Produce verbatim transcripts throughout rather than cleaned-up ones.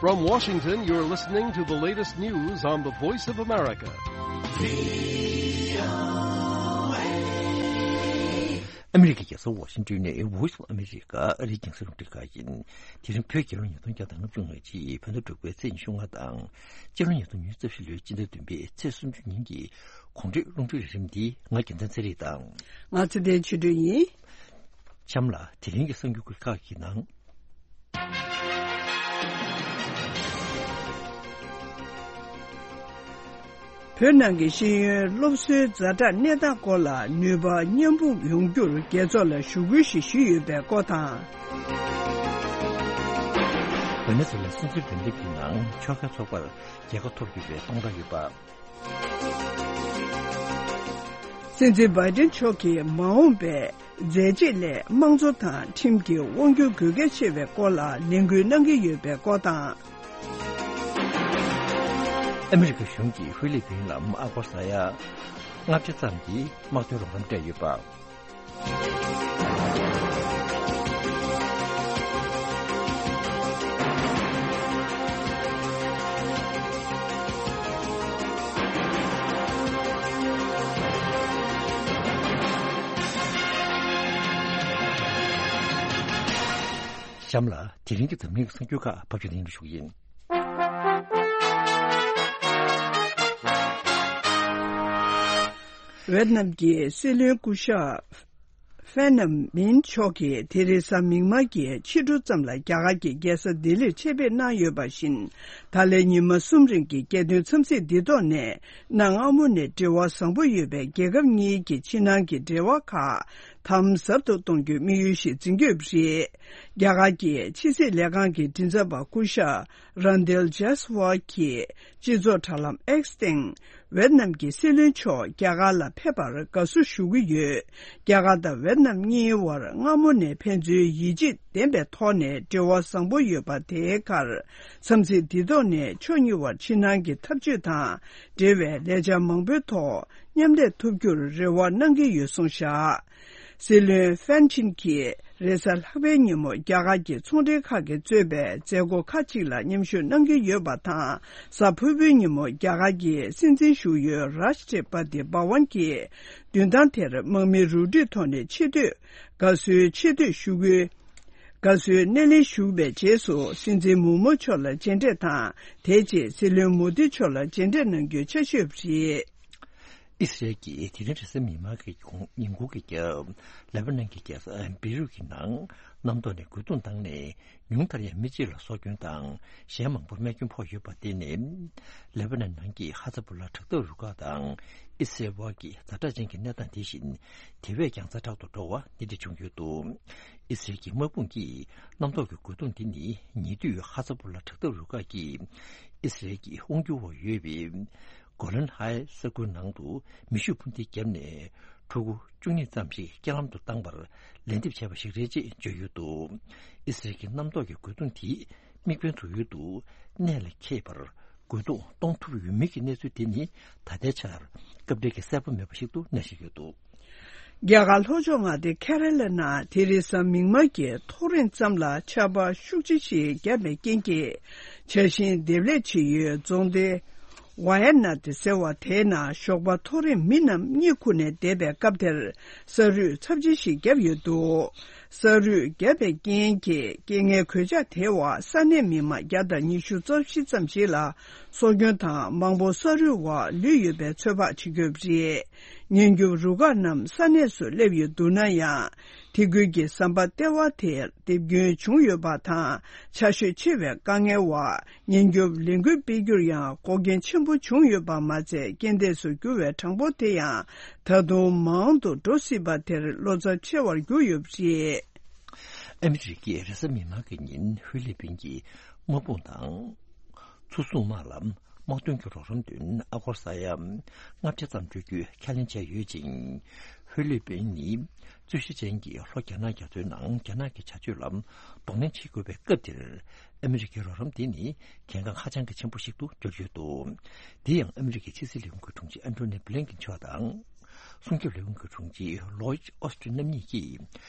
From Washington, you're listening to the latest news on the Voice of America. ཨ་མི་རི་ཀའི་རྒྱལ་ས་ཝ་ཤིང་ཏོན་ནས་Voice of America ཨ་རིའི་རྒྱང་སྲིང་རླུང་འཕྲིན་ཁང་ཡིན། དེ་རིང་བོད་རྒྱལ་ལོ་ཉིས་སྟོང་བརྒྱ་དང་ལྔ་བཅུ་ང་གཅིག་བོད་ཟླ་དྲུག་པའི་ཚེས་ཉི་ཤུ་ལྔ་དང་། སྤྱི་ལོ་ཉིས་སྟོང་ཉི་ཤུ་རྩ་བཞི་ལོའི་སྤྱི་ཟླ་བདུན་པའི་ཚེས་སུམ་ཅུ་ཉིན་གྱི་གོང་འཕེལ་རླུང་འཕྲིན་རིམ་འདི་ང་རྒྱལ་མཚན་ཚེ་རིང་དང་། ང་ཚེ་བརྟན་ཆོས་སྒྲོན་ཡིན། གཤམ་ལ་དེ་རིང་གི་གསར་འགྱུར་ཁག་གི་ནང་། བོད་ནང་གི་ཤེས་ཡོན་སློབ་གསོའི་ཛ་དྲག་གནས་སྟངས་སྐོར་ལ་ནུས་པ་མཉམ་སྤུངས་ཡོང་རྒྱུར་རྒྱལ་ཚོགས་ལ་ཞུ་སྐུལ་ཞིག་ཞུས་ཡོད་པའི་སྐོར་དང་། ཝེ་ནེ་ཛུ་ལའི་སྲིད་འཛིན་འོས་འདེམས་ཀྱི་ནང་ཕྱོགས་འགལ་ཚོགས་པར་རྒྱལ་ཁ་ཐོབ་ཡོད་པའི་སྟོང་ཕྲག་ཡོད་པ། སྲིད་འཛིན་བྷའི་ཏིན་མཆོག་གིས་མ་འོངས་པའི་མཛད་རྗེས་སླད་དམངས་གཙོ་དང་ཁྲིམས་ཀྱི་དབང་སྒྱུར་དགོས་གལ་ཆེ་བའི་སྐོར་ལ་ལས་འགུལ་གནང་གི་ཡོད་པའི་སྐོར་དང་། ཨ་མི་རི་ཀ་གཞུང་གིས་ཧྥི་ལི་པིན་ལ་ཨ་སྒོར་ས་ཡ་ལྔ་བརྒྱ་ཙམ་གྱི་དམག་དོན་རོགས་རམ་སྤྲད་ཡོད་པ། གཤམ་ལ་དེ་རིང་གི་འཛམ་གླིང་གི་གསར་འགྱུར་ཁག་ཕབ་སྒྱུར་ལེན་དུ་ཞུགས་ཡིན། ཝེད་ནམ་གྱི་སྲིད་བློན་སྐུ་ཞབས་ཧྥན་ནམ་མིན་མཆོག་གིས་དེ་རིང་གཟའ་མིག་དམར་གྱི་ཕྱི་དྲོ་ཙམ་ལ་རྒྱ་གར་གྱི་རྒྱལ་ས་ལྡི་ལིར་ཆེད་ཕེབས་གནང་ཡོད་པ་བཞིན། ད་ལན་ཉི་མ་གསུམ་རིང་གི་རྒྱལ་དོན་འཚམས་གཟིགས་འདི་ཐོག་ནས་གནའ་སྔ་མོ་ནས་འབྲེལ་བ་བཟང་པོ་ཡོད་པའི་རྒྱལ་ཁབ་གཉིས་ཀྱི་ཕྱི་ནང་གི་འབྲེལ་བ་ཁག་དམ་ཟབ་ཏུ་གཏོང་རྒྱུའི་དམིགས་ཡུལ་ཞིག་འཛིན་གྱི་ཡོད་པ་རེད། རྒྱ་གར་གྱི་ཕྱི་སྲིད་ལས་ཁང་གི་མགྲིན་ཚབ་པ་སྐུ་ཞབས་རན་དེལ་ཇཱས་ཝལ་གྱིས་སྤྱི་ཚོགས་དྲ་ལམ་X་སྟེང་། ཝེད་ནམ་གྱི་སྲིད་བློན་མཆོག་རྒྱ་གར་ལ་ཕེབས་པར་དགའ་བསུ་ཞུ་གི་ཡོད། རྒྱ་གར་དང་ཝེད་ནམ་གཉིས་བར་སྔ་མོ་ནས་ཕན་ཚུན་ཡིད་ཆེས་ལྡན་པའི་ཐོག་ནས་འབྲེལ་བ་བཟང་པོ་ཡོད་པ་དེའི་ཁར། འཚམས་གཟིགས་འདི་ཐོག་ནས་ཕྱོགས་གཉིས་བར་ཕྱི་ནང་གི་འཐབ་ཇུས་དང་འབྲེལ་བའི་ལས་འཆར་མང་པོའི་ཐོག་མཉམ་ལས་ཐུབ་རྒྱུར་རེ་བ་གནང་གི་ཡོད་གསུངས་བཞག། སྲིད་བློན་ཧྥན་ཆིན་གྱིས་རེས་གཟའ་ལྷག་པའི་ཉིན་མོ་རྒྱ་གར་གྱི་ཚོང་འབྲེལ་ཁག་གིས་གཙོས་པའི་མཛད་སྒོ་ཁག་ཅིག་ལ་མཉམ་ཞུགས་གནང་གི་ཡོད་པ་དང་། གཟའ་ཕུར་བུའི་ཉིན་མོ་རྒྱ་གར་གྱི་སྲིད་འཛིན་བཞུགས་ཡུལ་རཱཤ་ཊི་པ་ཏི་བྷ་ཝན་གྱི་མདུན་ཐང་དེར་དམག་མི་རུ་སྒྲིག་ཐོག་ནས་ཆེ་བསྟོད་དགའ་བསུའི་ཆེ་བསྟོད་ཞུ་སྐུལ། དགའ་བསུའི་སྣེ་ལེན་ཞུས་པའི་རྗེས་སུ་སྲིད་འཛིན་མུར་མུ་མཆོག་ལ་མཇལ་འཕྲད་དང་། དེའི་རྗེས་སྲིད་བློན་མོ་དི་མཆོག་ལ་མཇལ་འཕྲད་གནང་རྒྱུའི་ཆ་ཤས་རེད། ཨི་སི་རེལ་གྱིས་དེ་རིང་རེས་གཟའ་མིག་དམར་གྱི་ཉིན་གུང་གི་རྒྱབ། ལེ་པ་ནན་གྱི་རྒྱལ་ས་བེ་རུད་ཀྱི་ནང་གནམ་ཐོག་ནས་རྒོལ་རྡུང་བཏང་ནས། ཉུང་མཐར་ཡང་མི་གཅིག་ལ་སྲོག་སྐྱོན་དང་གཞན་མང་པོར་རྨས་སྐྱོན་ཕོག་ཡོད་པ་དེ་ནི། ལེ་པ་ནན་ནང་གི་ཧ་ཛ་བུ་ལ་དྲག་འཐབ་རུ་ཁག་དང་ཨི་སི་རེལ་དབར་གྱི་ཛ་དྲག་ཅན་གྱི་གནས་སྟངས་དེ་བཞིན་དེ་བས་ཀྱང་ཛ་དྲག་ཏུ་འགྲོ་བ་འདི་འདྲ་བྱུང་ཡོད་འདུག། ཨི་སི་རེལ་གྱི་དམག་དཔུང་གིས་གནམ་ཐོག་གི་རྒོལ་རྡུང་འདི་ནི་ཉེ་དུས་ཧ་ཛ་བུ་ལ་དྲག་འཐབ་རུ་ཁག་གིས་ཨི་སི་རེལ་གྱི་དབང་སྒྱུར་འོག་ཡོད་པའི་གོ་ལན་ཧའེ་ས་ཁུལ་ནང་དུ་མེ་ཤུགས་འཕུར་མདེལ་བརྒྱབ་ནས་ཕྲུ་གུ་བཅུ་གཉིས་ཙམ་ཞིག་རྐྱེན་ལམ་དུ་བཏང་བར་ལན་འདེབས་བྱས་པ་ཞིག་རེད་ཅེས་བརྗོད་ཡོད་འདུག། ཨི་སི་རེལ་གྱི་གནམ་ཐོག་གི་རྒོལ་རྡུང་དེས་དམིགས་འབེན་དུ་ཡོད་དུ་གནད་ལ་འཁེལ་བར་རྒོལ་རྡུང་གཏོང་ཐུབ་ཡོད་མིན་གྱི་གནས་ཚུལ་དེ་ནི་ད་ལྟའི་ཆར་སྐབས་འབྲེལ་གྱི་གསལ་པོ་མེད་པ་ཞིག་ཏུ་གནས་བཞིན་ཡོད་འདུག། རྒྱ་གར་ལྷོ་ཕྱོགས་མངའ་སྡེ་ཁེ་ར་ལ་ནང་དེ་རིང་གཟའ་མིག་དམར་གྱི་ཐོ་རེངས་ཙམ་ལ་ཆར་པ་ཤུགས་ཆེ་ཞིག་བརྒྱབ་པའི་རྐྱེན་གྱིས། ཆར་ཞིང་འདེབས་ལས་བྱེད་ཡུལ་རྫོང་སྡེ་ཝ་ཡ་ནཱ་ཏི་ཟེར་བ་དེའི་ནང་ཞོགས་པ་ཐོ་རེངས་མི་རྣམས་གཉིད་ཁུག་ནས་བསྡད་པའི་སྐབས་དེར་ས་རུད་ཚབས་ཆེ་ཞིག་བརྒྱབ་ཡོད་འདུག། ས་རུད་བརྒྱབ་པའི་རྐྱེན་གྱིས་རྐྱེན་ངན་གོད་ཆག་དེའི་འོག་ས་གནས་མི་མང་བརྒྱ་དང་ཉི་ཤུ་རྩ་བཞི་ཙམ་ཞིག་ལ་སྲོག་སྐྱོན་དང་མང་པོ་ས་རུད་འོག་ལུས་ཡོད་པའི་ཚོད་དཔག་བྱེད་ཀྱི་ཡོད་པ་རེད། ཉེན་སྐྱོབ་རུ་ཁག་རྣམས་ས་གནས་སུ་སླེབས་ཡོད་འདུག་ན་ཡང་། དེ་ཁུལ་གྱི་ཟམ་པ་ལྟེ་བ་དེར་རྡིབ་སྐྱོན་བྱུང་ཡོད་པ་དང་། ཆར་ཞོད་ཆེ་བའི་དཀའ་ངལ་འོག་ཉེན་སྐྱོབ་ལས་འགུལ་སྤེལ་རྒྱུར་ཡང་འགོག་རྐྱེན་ཆེན་པོ་བྱུང་ཡོད་པ་མ་ཚད། རྐྱེན་འདས་སུ་གྱུར་བའི་གྲངས་འབོར་དེ་ཡང་ད་དུང་མང་དུ་འགྲོ་སྲིད་པ་དེར་བློ་འཚབ་ཆེ་བར་གྱུར་ཡོད་པ་རེད། ཨ་མི་རི་ཀས་རེས་གཟའ་མིག་དམར་གྱི་ཉིན་ཧྥི་ལི་པིན་གྱི་དམག་དཔུང་དང་། མཚོ་སྲུང་དམག་ལ་དམག་དོན་གྱི་རོགས་རམ་དོན་ཨ་སྒོར་ས་ཡ་ལྔ་བརྒྱ་ཙམ་སྤྲོད་རྒྱུའི་ཁས་ལེན་བྱས་ཡོད་ཅིང་། ཧྥི་ལི་པིན་ནི་རྩོད་གཞི་ཅན་གྱི་ལྷོ་རྒྱ་ནག་རྒྱ་མཚོའི་ནང་རྒྱ་ནག་གི་བྱ་སྤྱོད་ལ་གདོང་ལེན་བྱེད་དགོས་པའི་སྐབས་འདིར། ཨ་མི་རི་ཀའི་རོགས་རམ་དེ་ནི་གལ་འགངས་ཧ་ཅང་གི་ཆེན་པོ་ཞིག་ཏུ་གྱུར་ཡོད་འདུག། དེ་ཡང་ཨ་མི་རི་ཀའི་ཕྱི་སྲིད་ལས་ཁུངས་ཀྱི་དྲུང་ཆེ་ཨན་ཐོ་ནི་བྷི་ལིན་ཀིན་མཆོག་དང་། སྲུང་སྐྱོབ་ལས་ཁུངས་ཀྱི་དྲུང་ཆེ་ལོའིད་ཨོ་སི་ཏིན་རྣམ་གཉིས་ཀྱིས་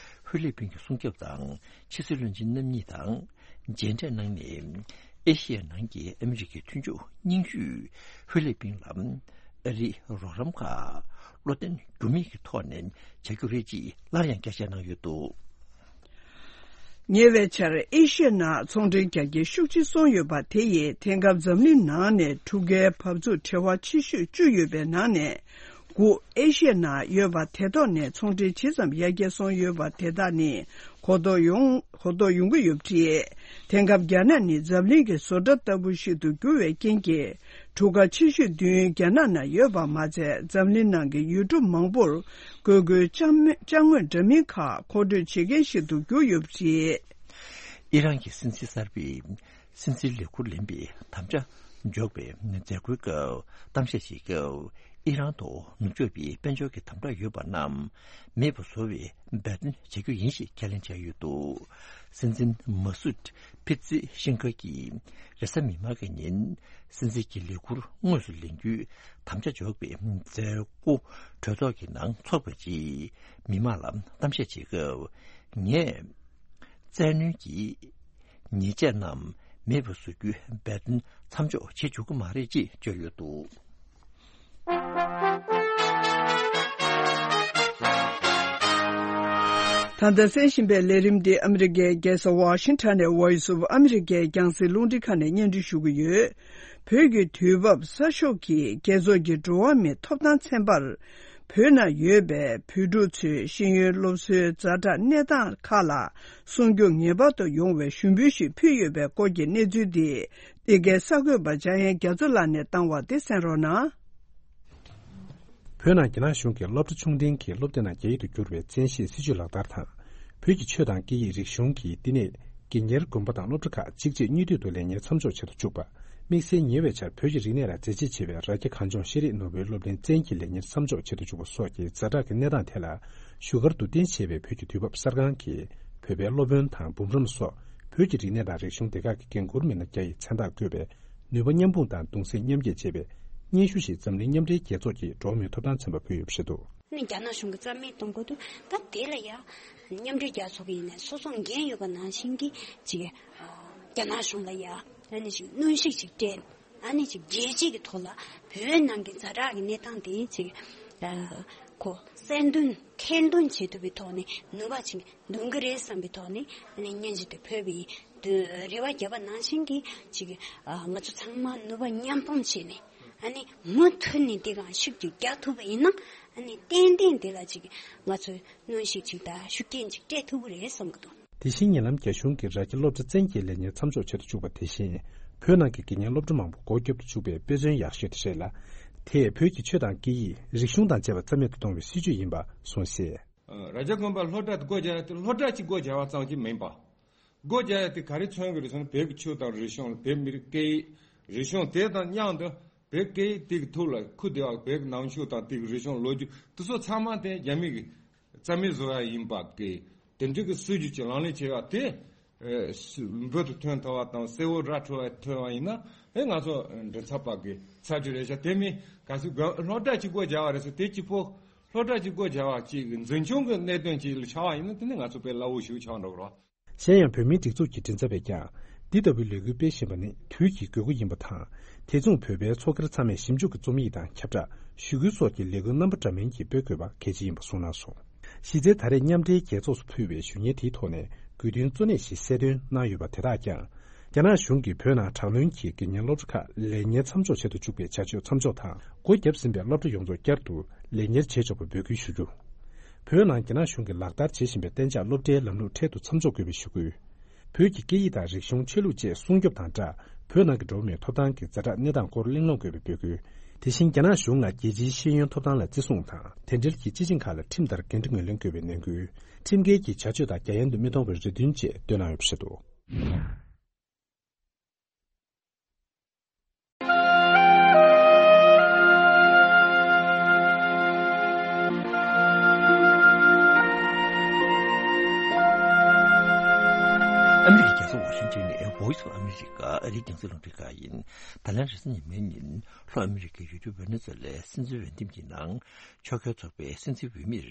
ཧྥི་ལི་པིན་གྱི་སྲུང་སྐྱོབ་དང་ཕྱི་སྲིད་བློན་ཆེན་རྣམ་གཉིས་དང་མཇལ་འཕྲད་གནང་ནས། ཨེ་ཤི་ཡའི་ནང་གི་ཨ་མི་རི་ཀའི་མཐུན་ཕྱོགས་རྙིང་ཤོས་ཧྥི་ལི་པིན་ལ་ཨ་རིའི་རོགས་རམ་ཁག་བློ་བརྟན་འགྱུར་མེད་ཀྱི་ཐོག་ནས་བྱ་རྒྱུ་རེད་ཅེས་སླར་ཡང་བསྐྱར་བཤད་གནང་ཡོད་འདུག། ཉེ་བའི་ཆར་ཨེ་ཤི་ཡའི་ནང་ཚོང་འབྲེལ་རྒྱ་སྐྱེད་ཤུགས་ཆེ་སོང་ཡོད་པ་དེ་ཡིས་དེང་སྐབས་འཛམ་གླིང་ནང་ནས་གྲུ་ཁའི་བབས་ཚུགས་བྲེལ་བ་ཆེ་ཤོས་བཅུ་ཡོད་པའི་ནང་ནས། དགུ་ཨེ་ཤི་ཡའི་ནང་ཡོད་པ་དེ་ཐོག་ནས་ཚོང་འབྲེལ་ཇི་ཙམ་ཡར་རྒྱས་སོང་ཡོད་པ་དེ་དག་ནི་གོ་རྟོགས་ཡོང་གོ་རྟོགས་ཡོང་གི་ཡོད་པ་རེད། དེང་སྐབས་རྒྱ་ནག་ནི་འཛམ་གླིང་གི་བཟོ་གྲྭ་ལྟ་བུ་ཞིག་ཏུ་གྱུར་བའི་རྐྱེན་གྱིས། གྲུ་ཁ་ཆེ་ཤོས་བདུན་རྒྱ་ནག་ནང་ཡོད་པ་མ་ཚད། འཛམ་གླིང་ནང་གི་ཡུལ་གྲུ་མང་པོར་དགོས་མཁོའི་ཅ་དངོས་འདྲ་མིན་ཁག་མཁོ་སྤྲོད་བྱེད་མཁན་ཞིག་ཏུ་གྱུར་ཡོད་པ་རེད། ཨི་རན་གྱི་སྲིད་འཛིན་གསར་པས། སྲིད་འཛིན་ལས་འཁུར་ལེན་པའི་དམ་བཅའ་འཇོག་པའི་མཛད་སྒོའི་སྐབས་གཏམ་བཤད་བྱེད་སྐབས། ཨི་རན་ཐོག་ནུབ་ཕྱོགས་པའི་དཔལ་འབྱོར་གྱི་དམ་དྲག་ཡོད་པ་རྣམས་མེད་པ་བཟོ་བའི་འབད་བརྩོན་བྱ་རྒྱུ་ཡིན་ཞེས་ཁས་ལེན་བྱས་ཡོད་འདུག། སྲིད་འཛིན་མ་སུད་ཕི་ཛི་ཤིན་ཁ་གིས་རེས་གཟའ་མིག་དམར་གྱི་ཉིན་སྲིད་འཛིན་གྱི་ལས་འཁུར་དངོས་སུ་ལེན་རྒྱུའི་དམ་བཅའ་འཇོག་པའི་མཛད་སྒོ་གྲོས་ཚོགས་ཀྱི་ནང་འཚོགས་པའི་རྗེས་མི་མང་ལ་གཏམ་བཤད་བྱེད་སྐབས། ངས། བཙན་གནོན་གྱི་ཉེས་ཆད་རྣམས་མེད་པར་བཟོ་རྒྱུའི་འབད་བརྩོན་མཚམས་འཇོག་བྱེད་བཅུག་གི་མ་རེད་ཅེས་བརྗོད་ཡོད་འདུག། ད་ལྟ་གསན་བཞིན་པའི་ལས་རིམ་འདི་ཨ་མི་རི་ཀའི་རྒྱལ་ས་ཝ་ཤིང་ཊོན་ནས་Voice of America་རྒྱང་སྲིང་རླུང་འཕྲིན་ཁང་ནས་སྙན་སྒྲོན་ཞུ་གི་ཡོད། བོད་ཀྱི་དུས་བབ་གསར་ཤོག་གིས་རྒྱལ་ཚོགས་ཀྱི་འགྲོ་བ་མིའི་ཐོབ་ཐང་ཚན་པར། བོད་ནང་ཡོད་པའི་བོད་ཕྲུག་ཚོའི་ཤེས་ཡོན་སློབ་གསོའི་ཛ་དྲག་གནས་སྟངས་ཁག་ལ་སྲུང་སྐྱོབ་ངེས་པར་དུ་ཡོང་བའི་ཞུ་འབོད་ཞིག་ཕུལ་ཡོད་པའི་སྐོར་གྱི་གནས་ཚུལ་འདི། འདི་གའི་གསར་འགོད་པ་འཇམ་དབྱངས་རྒྱ་མཚོ་ལགས་ནས་བཏང་བ་དེ་གསན་རོགས་གནང་། བོད་ནང་རྒྱ་ནག་གཞུང་གིས་སློབ་གྲྭ་ཆུང་འབྲིང་གི་སློབ་དེབ་ནང་རྒྱ་ཡིག་ཏུ་བསྒྱུར་བའི་བཙན་ཤེད་སྲིད་ཇུས་ལག་བསྟར་དང་། བོད་ཀྱི་ཆོས་དང་སྐད་ཡིག་རིག་གཞུང་གི་བསྟི་གནས། དགེ་གཉེར་དགོན་པ་དང་སློབ་གྲྭ་ཁག་གཅིག་རྗེས་གཉིས་མཐུད་དུ་ལས་གཉེར་མཚམས་འཇོག་བྱེད་དུ་བཅུག་པ། དམིགས་བསལ་ཉེ་བའི་ཆར་བོད་ཀྱི་རིག་གནས་ལ་མཛད་རྗེས་ཆེ་བའི་རྭ་རྒྱ་གངས་ལྗོངས་ཤེས་རིག་ནོར་བུའི་སློབ་གླིང་བཙན་གྱིས་ལས་གཉེར་མཚམས་འཇོག་བྱེད་དུ་བཅུག་པ་སོགས་ཀྱི་ཛ་དྲག་གི་གནས་སྟངས་ཐད་ལ། བཞུགས་སྒར་དུ་རྟེན་བྱས་པའི་བོད་ཀྱི་དུས་བབ་གསར་ཁང་གིས་བོད་པའི་སློབ་དཔོན་དང་འབུམ་རམས་སོགས་བོད་ཀྱི་རིག་གནས་དང་རིག་གཞུང་སྡེ་ཁག་གི་འགན་འཁུར་མི་སྣ་བརྒྱ་ཡི་མཚན་རྟགས་བཀོད་པའི་ནུས་པ་མཉམ་སྤུངས་དང་གདུང་སེམས་མཉམ་སྐྱེད་ཅེས་པའི་སྙན་ཞུ་ཞིག་འཛམ་གླིང་མཉམ་འབྲེལ་རྒྱལ་ཚོགས་ཀྱི་འགྲོ་བ་མིའི་ཐོབ་ཐང་ཚན་པ་ཕུལ་ཡོད་པ་རེད་འདུག། ནི་རྒྱ་ནག་གཞུང་གིས་རྩ་མེད་གཏོང་དགོས་འདུག། ད་དེ་ལ་ཡ་མཉམ་འབྲེལ་རྒྱལ་ཚོགས་ཀྱི་ཡིན་ནའི་སོ་སོ་འགན་ཡོད་པ་ནང་བཞིན་གྱི་ཅིག་རྒྱ་ནག་གཞུང་ལ་ཡ་ཨ་ནི་ཅིག་གནོན་ཤུགས་ཅིག་སྤྲད། ཨ་ནི་ཅིག་རྒྱལ་སྤྱི་གི་ཐོག་ལ་བོད་ནང་གི་ཛ་དྲག་གི་གནས་སྟངས་དེ་ཅིག་ཨ་ཁོ་གསལ་འདོན་ཐེར་འདོན་བྱེད་ཐུབ་པའི་ཐོག་ནས་ནུས་པ་ཅིག་འདོན་གི་རེད་བསམ་པའི་ཐོག་ནས་ཨ་ནི་སྙན་ཞུ་དེ་ཕུལ་བའི་དུས་རེ་བ་བརྒྱབ་པ་ནང་བཞིན་གྱི་ཅིག་ཨ་ང་ཚོ་ཚང་མ་ནུས་པ་མཉམ་སྤུངས་བྱས་ནས་ཨ་ནི་མུ་མཐུད་ནས་དེ་གང་ཤུགས་ཀྱིས་རྒྱག་ཐུབ་པ་ཡིན་ན་ཨ་ནི་ཏན་ཏན་དེ་ལ་ཅིག་ང་ཚོས་གནོན་ཤུགས་ཅིག་དང་ཤུགས་རྐྱེན་ཅིག་སྤྲད་ཐུབ་ཀྱི་རེད་བསམ་གྱི་འདུག། དེ་བཞིན་ཉེ་ལམ་རྒྱ་གཞུང་གིས་རྭ་རྒྱ་སློབ་གྲྭ་བཙན་གྱིས་ལས་གཉེར་མཚམས་འཇོག་བྱེད་དུ་བཅུག་པ་དེ་བཞིན། བོད་ནང་གི་དགེ་རྒན་སློབ་གྲྭ་མང་པོ་སྒོ་བརྒྱབ་ཏུ་བཅུག་པའི་དཔེ་མཚོན་ཡག་ཤོས་དེ་རེད་ལ། དེས་བོད་ཀྱི་ཆོས་དང་སྐད་ཡིག་རིག་གཞུང་དང་བཅས་པ་རྩ་མེད་དུ་གཏོང་བའི་སྲིད་ཇུས་ཡིན་པ་གསུངས་གསལ། རྭ་རྒྱ་དགོན་པ་སློབ་གྲྭ་དེ་སྒོ་རྒྱག་ཡ་དེ་སློབ་གྲྭ་གཅིག་སྒོ་རྒྱག་པ་ཙམ་གྱིས་མིན་པ། སྒོ་རྒྱག་ཡ་དེ་ག་རེ་མཚོན་གྱི་རེད་ཟེར་ན་བོད་ཀྱི་ཆོས་དང་རིག་གཞུང་བོད་མི་རིགས་སྐད་ཡིག་རིག་གཞུང་དེ་དང་མཉམ་དུ་བོད་སྐད་ཡིག་དེ་གི་ཐོག་ལ་ཁུ་བདེ་བ་བོད་ཀྱི་ནང་ཆོས་དང་དེ་གི་རིག་གཞུང་ལོ་རྒྱུས་དེ་ཚོ་ཚང་མ་དེ་རྒྱ་མི་གི་རྩ་མེད་བཟོ་ཡ་ཡིན་པ་གི་དེ་འདྲ་གི་སྲིད་ཇུས་ཀྱི་ལག་ལེན་བྱས་པ་དེ། ཨེ་སུ་འབུར་དུ་ཐོན་ཐུབ་པ་དང་གསལ་བོ་ར་འཕྲོད་པ་ཐོན་པ་ཡིན་ན་ཨེ་ང་ཚོ་མགྲིན་ཚབ་པ་གི་ཚབ་ཅིག་རེད་ཤག། དེ་མིན་གལ་སྲིད་དགོན་སློབ་གྲྭ་གཅིག་པོ་རྒྱག་པ་རེད་ཟེར་དེ་གཅིག་པོ་སློབ་གྲྭ་གཅིག་པོ་རྒྱག་པ་གཅིག་གི་འཛིན་སྐྱོང་གི་གནད་དོན་གཅིག་ལ་ཆགས་པ་ཡིན་ན་དེ་ནི་ང་ཚོ་དཔེ་སླ་བོ་ཞིག་ཆགས་འགྲོ་གི་རེད། གཞན་ཡང་བོད་མིའི་སྒྲིག་འཛུགས་ཀྱི་མགྲིན་ཚབ་པས་ཀྱང་འདི་ལྟ་བུའི་ལས་འགུལ་སྤེལ་བཞིན་པ་ནི་དུས་ཀྱི་དགོས་མཁོ་ཡིན་པ་དང་། དེ་མཚུངས་བོད་པའི་ཚོགས་སྒེར་ཚང་མས་ཞིབ་འཇུག་གི་རྩོམ་ཡིག་དང་ཁྱབ་བསྒྲགས་ཞུ་སྐུལ་སོགས་ཀྱི་ལས་འགུལ་རྣམ་པ་འདྲ་མིན་གྱིས་སྤེལ་དགོས་པ་གལ་ཆེ་ཡིན་པ་གསུངས་གནང་སོང་། གཞི་རྩའི་ད་རེས་མཉམ་འབྲེལ་རྒྱལ་ཚོགས་སུ་ཕུལ་བའི་ཞུ་སྙན་དེའི་ཐོག་ནས་དགོས་འདུན་གཙོ་གནད་ཞིག་གསལ་སྟོན་གནང་ཡོད་པ་དེ་དག་ཀྱང་། རྒྱ་ནག་གཞུང་གིས་བོད་ནང་དྲག་གནོན་གྱིས་དགེ་རྒན་སློབ་གྲྭ་ཁག་ལས་གཉེར་མཚམས་འཇོག་བྱེད་དུ་བཅུག་པའི་བྱ་སྤྱོད་མཚམས་འཇོག་དང་། སྒོ་བརྒྱབ་ཟིན་པའི་སློབ་གྲྭ་ཡོངས་རྫོགས་བསྐྱར་དུ་ལས་གཉེར་བྱེད་ཆོག་པའི་འབོད་སྐུལ་ཞུ་རྒྱུ། བོད་ནང་རྒྱ་ནག་གཞུང་གིས་ལག་བསྟར་བྱེད་བཞིན་པའི་གཏན་འཇགས་སློབ་གྲྭའི་ལམ་ལུགས་འཕྲལ་དུ་མཚམས་འཇོག་དགོས་པའི་ཞུ་སྐུལ། བོད་ཀྱི་སྐད་ཡིག་དང་རིག་གཞུང་ཆོས་ལུགས་བཅས་སྲུང་སྐྱོབ་དང་སྦྲགས། བོད་ནང་གི་འགྲོ་བ་མིའི་ཐོབ་ཐང་གི་ཛ་དྲག་གནས་སྟངས་སྐོར་གླེང་སློང་དགོས་པའི་འབོད་སྐུལ། དེ་བཞིན་རྒྱ་ནག་གཞུང་ལ་རྒྱལ་སྤྱིའི་ཤེས་ཡོན་ཐོབ་ཐང་ལ་བརྩི་སྲུང་དང་། དེ་འབྲེལ་གྱི་སྤྱི་ཆིངས་ཁག་ལ་ཁྲིམས་ལྟར་འགན་འཁྲི་ངོས་ལེན་དགོས་པའི་ནན་སྐུལ། ཁྲིམས་འགལ་གྱི་བྱ་སྤྱོད་དག་རྒྱ་ཡན་དུ་མི་གཏོང་བའི་རེ་འདུན་བཅས་བཏོན་གནང་ཡོད་པ་རེད་འདུག། ཨ་མི་རི་ཀའི་རྒྱལ་ས་ཝ་ཤིང་ཊོན་ནས་Voice of America་ཨ་རིའི་རྒྱང་སྲིང་རླུང་འཕྲིན་ཁང་ཡིན། ད་ལན་རེས་གཟའ་ཉི་མའི་ཉིན་ལྷོ་ཨ་མི་རི་ཀའི་ཡུལ་གྲུ་ཝེ་ནེ་ཛུ་ལའི་སྲིད་འཛིན་འོས་འདེམས་ཀྱི་ནང་ཕྱོགས་འགལ་ཚོགས་པའི་སྲིད་འཛིན་འོས་མིར་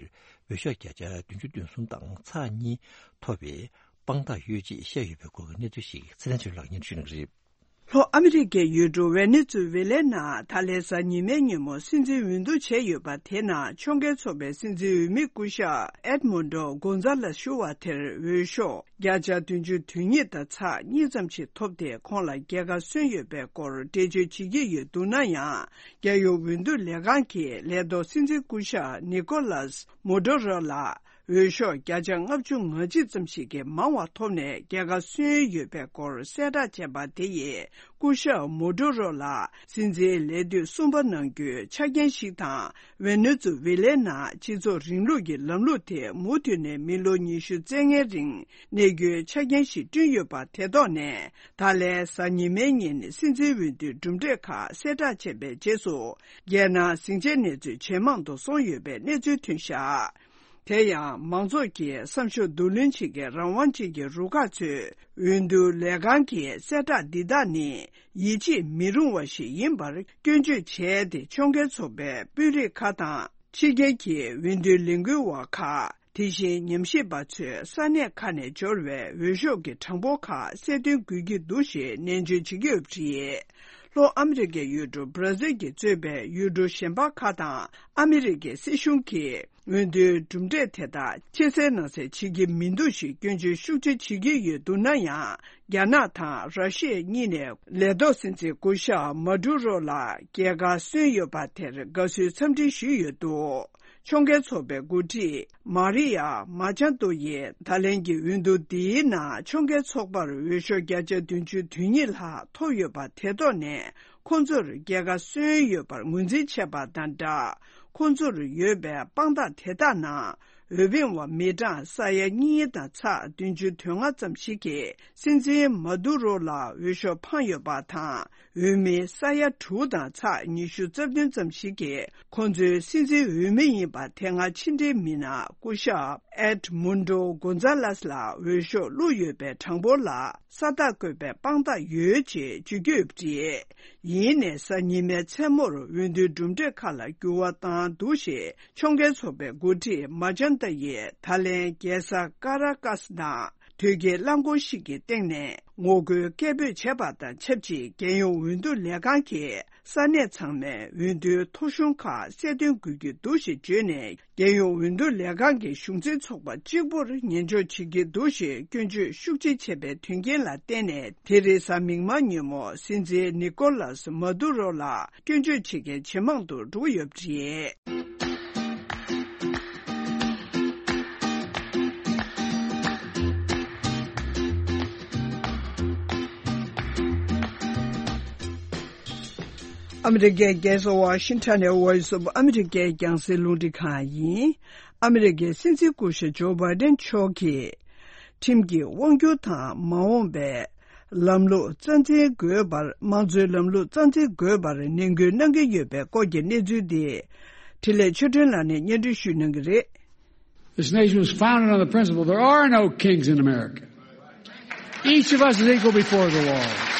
འོས་ཤོག་བརྒྱ་ཆ་བདུན་ཅུ་དོན་གསུམ་དང་ཚེག་གཉིས་ཐོབ་པའི་དཔང་རྟགས་ཡོད་ཅེས་བཤད་ཡོད་པའི་སྐོར་གྱི་གནས་ཚུལ་ཞིག་ཚེ་བརྟན་ཆོས་ལགས་སྙན་ཞུ་གནང་གི་རེད། ལྷོ་ཨ་མི་རི་ཀའི་ཡུལ་གྲུ་ཝེ་ནེ་ཛུ་ཝེ་ལའི་ནང་ད་ལན་གཟའ་ཉི་མའི་ཉིན་མོ་སྲིད་འཛིན་འོས་བསྡུ་བྱས་ཡོད་པ་དེ་ནང་ཕྱོགས་འགལ་ཚོགས་པའི་སྲིད་འཛིན་འོས་མི་སྐུ་ཞབས་ཨེད་མོན་ཌོ་གོན་ཛ་ལེས་ཞུ་བ་དེར་འོས་ཤོག་བརྒྱ་ཆ་བདུན་ཅུ་དོན་གཉིས་དང་ཚེག་གཉིས་ཙམ་ཞིག་ཐོབ་སྟེ་ཁོང་ལ་རྒྱལ་ཁ་སོན་ཡོད་པའི་སྐོར་འགྲེལ་བརྗོད་བྱེད་ཀྱི་ཡོད་འདུག་ན་ཡང་། རྒྱལ་ཡོངས་འོས་བསྡུ་ལས་ཁང་གི་ལས་ཐོག་སྲིད་འཛིན་སྐུ་ཞབས་ནི་ཀོ་ལཱས་མོ་ཌུ་རོ་ལ། འོས་ཤོག་བརྒྱ་ཆ་ལྔ་བཅུ་ང་གཅིག་ཙམ་ཞིག་གིས་མང་བ་ཐོབ་ནས་རྒྱལ་ཁ་སོན་ཡོད་པའི་སྐོར་གསལ་བསྒྲགས་བྱས་པ་དེ་ཡིས་སྐུ་ཞབས་མོ་ཌུ་རོ་ལ་སྲིད་འཛིན་ལས་དུས་གསུམ་པ་གནང་རྒྱུའི་ཆ་རྐྱེན་ཞིག་དང་། ཝེ་ནེ་ཛུ་ཝེ་ལའི་ནང་སྤྱི་ཚོགས་རིང་ལུགས་ཀྱི་ལམ་ལུགས་དེ་མུ་མཐུད་ནས་མི་ལོ་ཉི་ཤུ་རྩ་ལྔའི་རིང་གནས་རྒྱུའི་ཆ་རྐྱེན་ཞིག་བསྐྲུན་ཡོད་པ་དེ་ཐོག་ནས། ད་ལན་གཟའ་ཉི་མའི་ཉིན་སྲིད་འཛིན་འོས་བསྡུའི་གྲུབ་འབྲས་ཁག་གསལ་བསྒྲགས་བྱས་པའི་རྗེས་སུ། རྒྱལ་ནང་ཟིང་ཆའི་གནས་ཚུལ་ཇེ་མང་དུ་སོང་ཡོད་པའི་གནས་ཚུལ་ཐོན་བཞག་དེ་ཡང་མང་ཚོགས་ཀྱིས་བསམ་ཤོག་བསྡུ་ལེན་བྱེད་མཁན་རང་དབང་ཅན་གྱི་རུ་ཁག་ཚོས་འོས་བསྡུ་ལས་ཁང་གི་གསལ་བསྒྲགས་འདི་དག་ནི་ཡིད་ཆེས་མི་རུང་བ་ཞིག་ཡིན་པར་སྐྱོན་བརྗོད་བྱས་ཏེ། ཕྱོགས་འགལ་ཚོགས་པའི་དཔོན་རིགས་ཁག་དང་། ཕྱི་རྒྱལ་གྱི་འོས་བསྡུའི་ལས་འགུལ་བ་ཁག་དེ་བཞིན་ཉམས་ཞིབ་པ་ཚོས་ས་གནས་ཁག་ནས་འབྱོར་བའི་འོས་ཤོག་གི་གྲངས་འབོར་ཁག་གསལ་སྟོན་དགོས་ཀྱི་འདུག་ཞེས་ནན་བརྗོད་བྱེད་ཀྱི་ཡོད་པ་རེད། ལྷོ་ཨ་མི་རི་ཀའི་ཡུལ་གྲུ་བྷ་ར་ཟིལ་གྱིས་གཙོས་པའི་ཡུལ་གྲུ་གཞན་པ་ཁག་དང་ཨ་མི་རི་ཀའི་སྲིད་གཞུང་གིས་འོས་བསྡུའི་གྲུབ་འབྲས་དེ་དག་ཕྱིར་གསལ་ནང་གསལ་བྱེད་ཀྱི་མི་འདུག་ཞེས་སྐྱོན་བརྗོད་ཤུགས་ཆེ་བྱེད་ཀྱི་ཡོད་འདུག་ན་ཡང་། རྒྱ་ནག་དང་ར་ཤི་ཡ་གཉིས་ནས་ལས་ཐོག་སྲིད་འཛིན་སྐུ་ཞབས་མ་ཌུ་རོ་ལ་རྒྱལ་ཁ་སོན་ཡོད་པ་དེར་དགའ་བསུའི་འཚམས་འདྲི་ཞུས་ཡོད་འདུག་ཕྱོགས་འགལ་ཚོགས་པའི་འགོ་ཁྲིད་མཱ་རི་ཡ་མཱ་ཅན་ཏོ་ཡིས་ད་ལན་གྱི་འོས་བསྡུ་འདིའི་ནང་ཕྱོགས་འགལ་ཚོགས་པར་འོས་ཤོག་བརྒྱ་ཆ་བདུན་ཅུ་དོན་གཉིས་ལྷག་ཐོབ་ཡོད་པ་དེ་ཐོག་ནས། ཁོང་ཚོར་རྒྱལ་ཁ་སོན་ཡོད་པར་ངོས་འཛིན་བྱས་པ་དང་སྦྲགས། ཁོང་ཚོར་ཡོད་པའི་དཔང་རྟགས་དེ་དག་ནང་། འོས་འཕེན་པ་མི་གྲངས་ས་ཡ་གཉིས་དང་ཚེག་བདུན་ཅུ་དོན་ལྔ་ཙམ་ཞིག་གིས་སྲིད་འཛིན་མ་དུ་རོ་ལ་འོས་ཤོག་འཕངས་ཡོད་པ་དང་། འོས་མི་ས་ཡ་དྲུག་དང་ཚེག་ཉི་ཤུ་རྩ་བདུན་ཙམ་ཞིག་གིས་ཁོང་ཚོའི་སྲིད་འཛིན་འོས་མི་ཡིན་པ་དེ་སྔ་ཕྱི་འབྲེལ་མི་སྣ་སྐུ་ཞབས་ཨེད་མུན་ཌོ་གོན་ཛ་ལེས་ལ་འོས་ཤོག་བླུགས་ཡོད་པའི་གྲངས་འབོར་ལ་ས་རྟགས་བཀོད་པའི་དཔང་རྟགས་ཡོད་ཅེས་བརྗོད་ཀྱི་ཡོད་པ་རེད། ཡིན་ནའི་གཟའ་ཉི་མའི་མཚན་མོར་འོས་བསྡུའི་གྲུབ་འབྲས་ཁག་ལ་འགྱུར་བ་བཏང་འདུག་ཞེས་ཕྱོགས་འགལ་ཚོགས་པའི་འགོ་ཁྲིད་མཱ་ཅན་ཏ་ཡིས་ད་ལན་རྒྱལ་ས་ཀ་ར་ཀཱས་ནང་དོལ་རྒྱལ་རླངས་འཁོར་ཞིག་གི་སྟེང་ནས་ངོ་རྒོལ་སྐད་འབོད་བྱས་པ་དང་ཆབས་ཅིག་རྒྱལ་ཡོངས་འོས་བསྡུ་ལས་ཁང་གིས་ས་གནས་ཚང་མའི་འོས་བསྡུའི་ཐོ་གཞུང་ཁག་གསལ་སྟོན་དགོས་ཀྱི་འདུག་ཞེས་བརྗོད་ནས། རྒྱལ་ཡོངས་འོས་བསྡུ་ལས་ཁང་གི་གཞུང་འཛིན་ཚོགས་པ་གཅིག་པུར་ཉན་འཇོག་བྱེད་ཀྱི་འདུག་ཞེས་སྐྱོན་བརྗོད་ཤུགས་ཆེ་བྱས་པའི་དོན་རྐྱེན་ལ་བརྟེན་ནས། དེ་རིང་གཟའ་མིག་དམར་ཉིན་མོ་སྲིད་འཛིན་ནི་ཀོ་ལཱས་མ་དུ་རོ་ལ་སྐྱོན་བརྗོད་བྱེད་མཁན་ཇེ་མང་དུ་འགྲོ་གི་ཡོད་པ་རེད། ཨ་མི་རི་ཀའི་རྒྱལ་ས་ཝ་ཤིང་ཊོན་ནས་Voice of America་རྒྱང་སྲིང་རླུང་འཕྲིན་ཁང་ཡིན། ཨ་མི་རི་ཀའི་སྲིད་འཛིན་སྐུ་ཞབས་ཇོ་བྷའི་ཌེན་མཆོག་གིས་ཁྲིམས་ཀྱི་དབང་སྒྱུར་དང་མ་འོངས་པའི་ལམ་ལུགས་རྩ་འཛིན་དགོས་པར། དམངས་གཙོའི་ལམ་ལུགས་རྩ་འཛིན་དགོས་པར་ནན་སྐུལ་གནང་གི་ཡོད་པའི་སྐོར་གྱི་གནས་ཚུལ་འདི་འཕྲིན་ལས་ཆོས་སྒྲོན་ལགས་ནས་སྙན་སྒྲོན་ཞུ་གནང་གི་རེད། This nation was founded on the principle there are no kings in America. Each of us is equal before the law.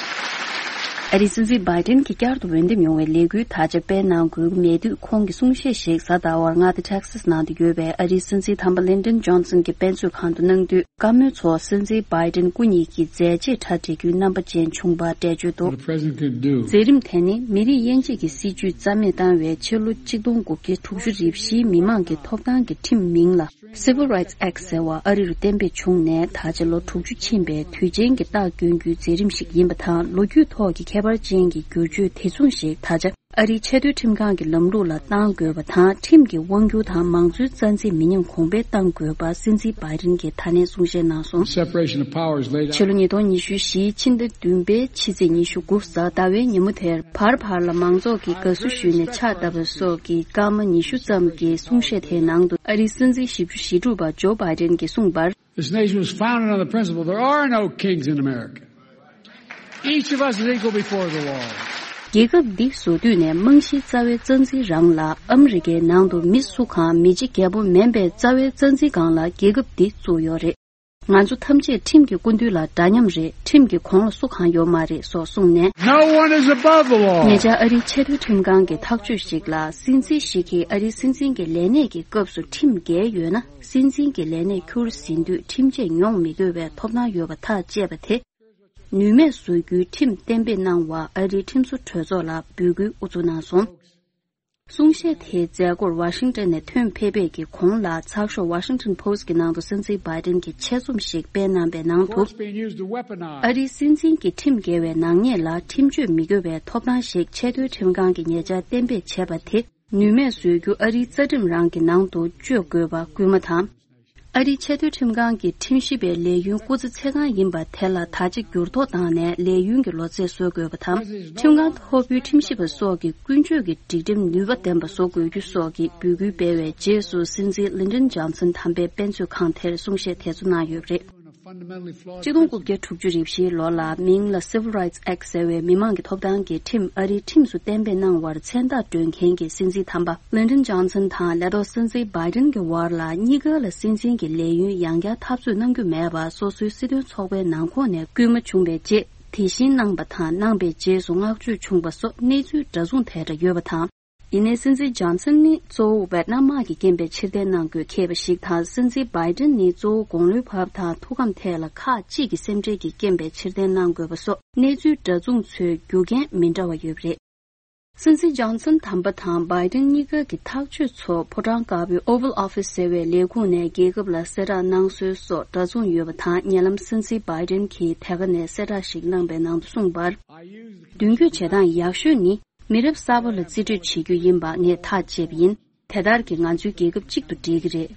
ཨ་རིའི་སྲིད་འཛིན་བྷའི་ཏིན་གྱིས་བསྐྱར་དུ་འོས་འདེམས་ཡོང་བའི་ལས་འགུལ་དར་ཆ་སྤེལ་གནང་དགོས་ཀྱི་མེད་དུས། ཁོང་གིས་གསུང་བཤད་ཞིག་གཟའ་ཟླ་བར་མངའ་སྡེ་ཊེག་སཱས་ནང་དུ་ཡོད་པའི་ཨ་རིའི་སྲིད་འཛིན་དམ་པ་ལིན་ཌོན་ཇོན་སན་གྱི་དཔེ་མཛོད་ཁང་དུ་གནང་དུས། བཀའ་མོལ་ཚོར་སྲིད་འཛིན་བྷའི་ཏིན་སྐུ་ཉིད་ཀྱི་མཛད་རྗེས་གྲ་སྒྲིག་རྒྱུའི་རྣམ་པ་ཅན་བྱུང་བ་འགྲེལ་བརྗོད་འདུག What a president can do. མཛད་རིམ་དེ་ནི་མི་རིགས་དབྱེ་འབྱེད་ཀྱི་སྲིད་བྱུས་རྩ་མེད་བཏང་བའི་ཕྱི་ལོ་གཅིག་སྟོང་དགུ་བརྒྱ་དྲུག་ཅུ་རེ་བཞིའི་མི་དམངས་ཀྱི་ཐོབ་ཐང་གི་ཁྲིམས་མིང་ལ། Civil Rights Act ཟེར་བ་ཨ་རི་རུ་གཏན་འབེབས་བྱུང་ནས་ད་ཆ་ལོ་དྲུག་ཅུ་ཕྱིན་པའི་དུས་ཆེན་གྱི་རྟགས་བསྐྱོན་རྒྱུའི་མཛད་རིམ་ཞིག་ཡིན་པ་དང་། ལོ་རྒྱུས་ཐོག་གི་ཁྱད་པར་ཅན་གྱི་བསྒྱུར་བཅོས་དེ་མཚུངས་ཤིག་ད་ཆ་ཨ་རིའི་ཆེས་མཐོའི་ཁྲིམས་ཁང་གི་ལམ་ལུགས་ལ་གཏང་དགོས་པ་དང་། ཁྲིམས་ཀྱི་དབང་སྒྱུར་དང་མང་གཙོའི་རྩ་འཛིན་མི་ཉམས་གོང་འཕེལ་གཏང་དགོས་པ་སྲིད་འཛིན་བྷའི་ཏིན་གྱིས་ད་ནས་གསུང་བཤད་གནང་སོང་། Separation of powers laid out. ཕྱི་ལོ་ཉིས་སྟོང་ཉི་ཤུ་བཞིའི་ཕྱི་ཟླ་བདུན་པའི་ཕྱི་ཚེས་ཉི་ཤུ་དགུ་གཟའ་ཟླ་བའི་ཉིན་མོ་དེར་བར་བར་ལ་མང་ཚོགས་ཀྱིས་དགའ་བསུ་ཞུས་ནས་ཕྱག་བཏབ་པ་སོགས་ཀྱི་སྐར་མ་ཉི་ཤུ་ཙམ་གྱི་གསུང་བཤད་དེའི་ནང་དུ། ཨ་རིའི་སྲིད་འཛིན་བཞི་བཅུ་ཞེ་དྲུག་པ་ཇོ་བྷའི་ཏིན་གྱིས་གསུངས་པར། This nation was founded on the principle there are no kings in America. Each of us is equal before the law. རྒྱལ་ཁབ་འདི་བཟོ་དུས་ནས་རྨང་གཞིའི་རྩ་བའི་རྩ་འཛིན་རང་ལ། ཨ་མི་རི་ཀའི་ནང་དུ་མི་སུ་གང་མི་གཅིག་རྒྱལ་པོ་མིན་པའི་རྩ་བའི་རྩ་འཛིན་སྒང་ལ་རྒྱལ་ཁབ་འདི་བཙུགས་ཡོད་རེད། ང་ཚོ་ཐམས་ཅད་ཁྲིམས་ཀྱི་སྐུ་མདུན་ལ་འདྲ་མཉམ་རེད། ཁྲིམས་ཀྱི་གོང་ལ་སུ་གང་ཡོད་མ་རེད་སོགས་གསུངས་ནས། No one is above the law. ཉེ་ཆར་ཨ་རིའི་ཆེས་མཐོའི་ཁྲིམས་ཁང་གི་ཐག་གཅོད་ཞིག་ལ། སྲིད་འཛིན་ཞིག་གིས་ཨ་རིའི་སྲིད་འཛིན་གྱི་ལས་གནས་ཀྱི་སྐབས་སུ་ཁྲིམས་འགལ་ཡོད་ན། སྲིད་འཛིན་གྱི་ལས་གནས་འཁྱུར་ཟིན་དུས་ཁྲིམས་ཆད་མྱོང་མི་དགོས་པའི་ཐོབ་ཐང་ཡོད་པ་ཐག་བཅད་པ་དེ། ནུས་མེད་བཟོ་རྒྱུའི་ཁྲིམས་གཏན་འབེབས་གནང་བར་ཨ་རིའི་ཁྲིམས་བཟོ་གྲོས་ཚོགས་ལ་འབོད་སྐུལ་དབུ་འཛུགས་གནང་སོང་། གསུང་བཤད་དེའི་མཛད་སྒོར་ཝ་ཤིང་ཏན་ནས་ཐོན་ཕེབས་པའི་གི་གོང་ལ་ཚགས་ཤོག་Washington Post གི་ནང་དུ་སྲིད་འཛིན་བྷའི་ཏིན་གྱིས་ཆེད་རྩོམ་ཞིག་སྤེལ་གནང་བའི་ནང་དུ། ཨ་རིའི་སྲིད་འཛིན་གྱི་ཁྲིམས་འགལ་བའི་ནག་ཉེས་ལ་ཁྲིམས་གཅོད་མི་དགོས་པའི་ཐོབ་ཐང་ཞིག་ཆེས་མཐོའི་ཁྲིམས་ཁང་གི་ཉེ་ཆར་གཏན་འབེབས་བྱས་པ་དེ་ནུས་མེད་བཟོ་རྒྱུ་ཨ་རིའི་རྩ་ཁྲིམས་རང་གི་ནང་དུ་བཅོས་དགོས་པ་སྐུལ་མ་དང་། ཨ་རིའི་ཆེས་མཐོའི་ཁྲིམས་ཁང་གི་ཁྲིམས་ཞིབ་པའི་ལས་ཡུན་སྐུ་ཚེ་ཚེ་གང་ཡིན་པ་དེ་ལ་ད་ཆ་འགྱུར་ལྡོག་བཏང་ནས་ལས་ཡུན་གྱི་ལོ་ཚད་བཟོ་དགོས་པ་དང་། ཁྲིམས་ཁང་མཐོ་པོའི་ཁྲིམས་ཞིབ་པ་སོགས་ཀྱི་ཀུན་སྤྱོད་ཀྱི་སྒྲིག་ཁྲིམས་ནུས་པ་ལྡན་པ་བཟོ་དགོས་རྒྱུ་སོགས་ཀྱི་འབོད་སྐུལ་སྤེལ་བའི་རྗེས་སུ་སྲིད་འཛིན་ལིན་ཏོན་ཇོན་སན་དམ་པའི་དཔེ་མཛོད་ཁང་དེར་གསུང་བཤད་དེ་ཚོ་གནང་ཡོད་པ་རེད། ཆིག་སྟོང་དགུ་བརྒྱ་དྲུག་ཅུ་རེ་བཞིའི་ལོ་ལ་མིང་ལ་Civil Rights Act ཟེར་བའི་མི་དམངས་ཀྱི་ཐོབ་ཐང་གི་ཁྲིམས་ཨ་རིའི་ཁྲིམས་སུ་གཏན་འབེབས་གནང་བར་མཚན་རྟགས་སྤྲོད་མཁན་གྱི་སྲིད་འཛིན་དམ་པ་ལིན་ཏོན་ཇོན་སན་དང་ལས་ཐོག་སྲིད་འཛིན་བྷའི་ཏིན་གྱི་བར་ལ་གཉིས་ཀ་ལ་སྲིད་འཛིན་གྱི་ལས་ཡུན་ཡང་བསྐྱར་འཐབ་རྩོད་གནང་རྒྱུ་མེད་པ་སོ་སོའི་སྲིད་དོན་ཚོགས་པའི་ནང་ཁོངས་ནས་སྐུལ་མ་བྱུང་བའི་རྗེས་དེ་བཞིན་གནང་པ་དང་གནང་པའི་རྗེས་སུ་བསྔགས་བརྗོད་བྱུང་བ་སོགས་གནས་ཚུལ་འདྲ་མཚུངས་དེ་འདྲ་ཡོད་པ་དང་། ཡིན་ནའི་སྲིད་འཛིན་ཇོན་སན་ནི་གཙོ་བོ་ཝེ་ཏི་ནམ་དམག་གི་རྐྱེན་པས་ཕྱིར་འཐེན་གནང་དགོས་འཁེལ་བ་ཞིག་དང་། སྲིད་འཛིན་བྷའི་ཏིན་ནི་གཙོ་བོ་དགུང་ལོའི་བབ་དང་ཐུགས་ཁམས་ཐད་ལ་ཁག་གཅིག་གི་སེམས་ཁྲལ་གྱི་རྐྱེན་པས་ཕྱིར་འཐེན་གནང་དགོས་པ་སོགས་གནས་ཚུལ་འདྲ་མཚུངས་ཚོའི་རྒྱུ་རྐྱེན་མི་འདྲ་བ་ཡོད་པ་རེད། སྲིད་འཛིན་ཇོན་སན་དམ་པ་དང་བྷའི་ཏིན་གཉིས་ཀ་གི་ཐག་གཅོད་ཚོ་ཕོ་བྲང་དཀར་པོའི་Oval Office ཟེར་བའི་ལས་ཁུངས་ནས་རྒྱལ་ཁབ་ལ་གསལ་བསྒྲགས་གནང་སྲོལ་སོགས་འདྲ་མཚུངས་ཡོད་པ་དང་། ཉེ་ལམ་སྲིད་འཛིན་བྷའི་ཏིན་གྱིས་དེ་ག་ནས་གསལ་བསྒྲགས་ཤིག་གནང་པའི་ནང་དུ་གསུངས་པར། མདུན་སྐྱོད་བྱེད་སྟངས་ཡག་ཤོས་ནི། མི་རབས་གསར་པ་ལ་རྩིས་སྤྲོད་བྱེད་རྒྱུ་ཡིན་པ་ངས་ཐག་བཅད་པ་ཡིན། དེ་ལྟར་གྱིས་ང་ཚོའི་རྒྱལ་ཁབ་གཅིག་ཏུ་སྒྲིལ་གྱི་རེད།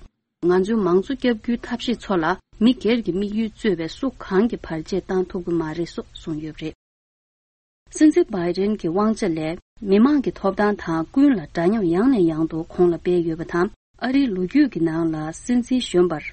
ང་ཚོའི་མང་གཙོ་བསྐྱབ་རྒྱུའི་ཐབས་ཤེས་ཚོ་ལ་མི་སྒེར་གྱི་དམིགས་ཡུལ་གཙོས་པའི་སུ་གང་གིས་བར་ཆད་བཏང་ཐུབ་ཀྱི་མ་རེད་སོགས་གསུངས་ཡོད་པ་རེད། སྲིད་འཛིན་བྷའི་ཏིན་གྱི་དབང་ཆ་ལས་མི་དམངས་ཀྱི་ཐོབ་ཐང་དང་ཀུན་ལ་འདྲ་མཉམ་ཡང་ནས་ཡང་དུ་གོང་ལ་སྤེལ་ཡོད་པ་དང་། ཨ་རིའི་ལོ་རྒྱུས་ཀྱི་ནང་ལ་སྲིད་འཛིན་གཞོན་པར།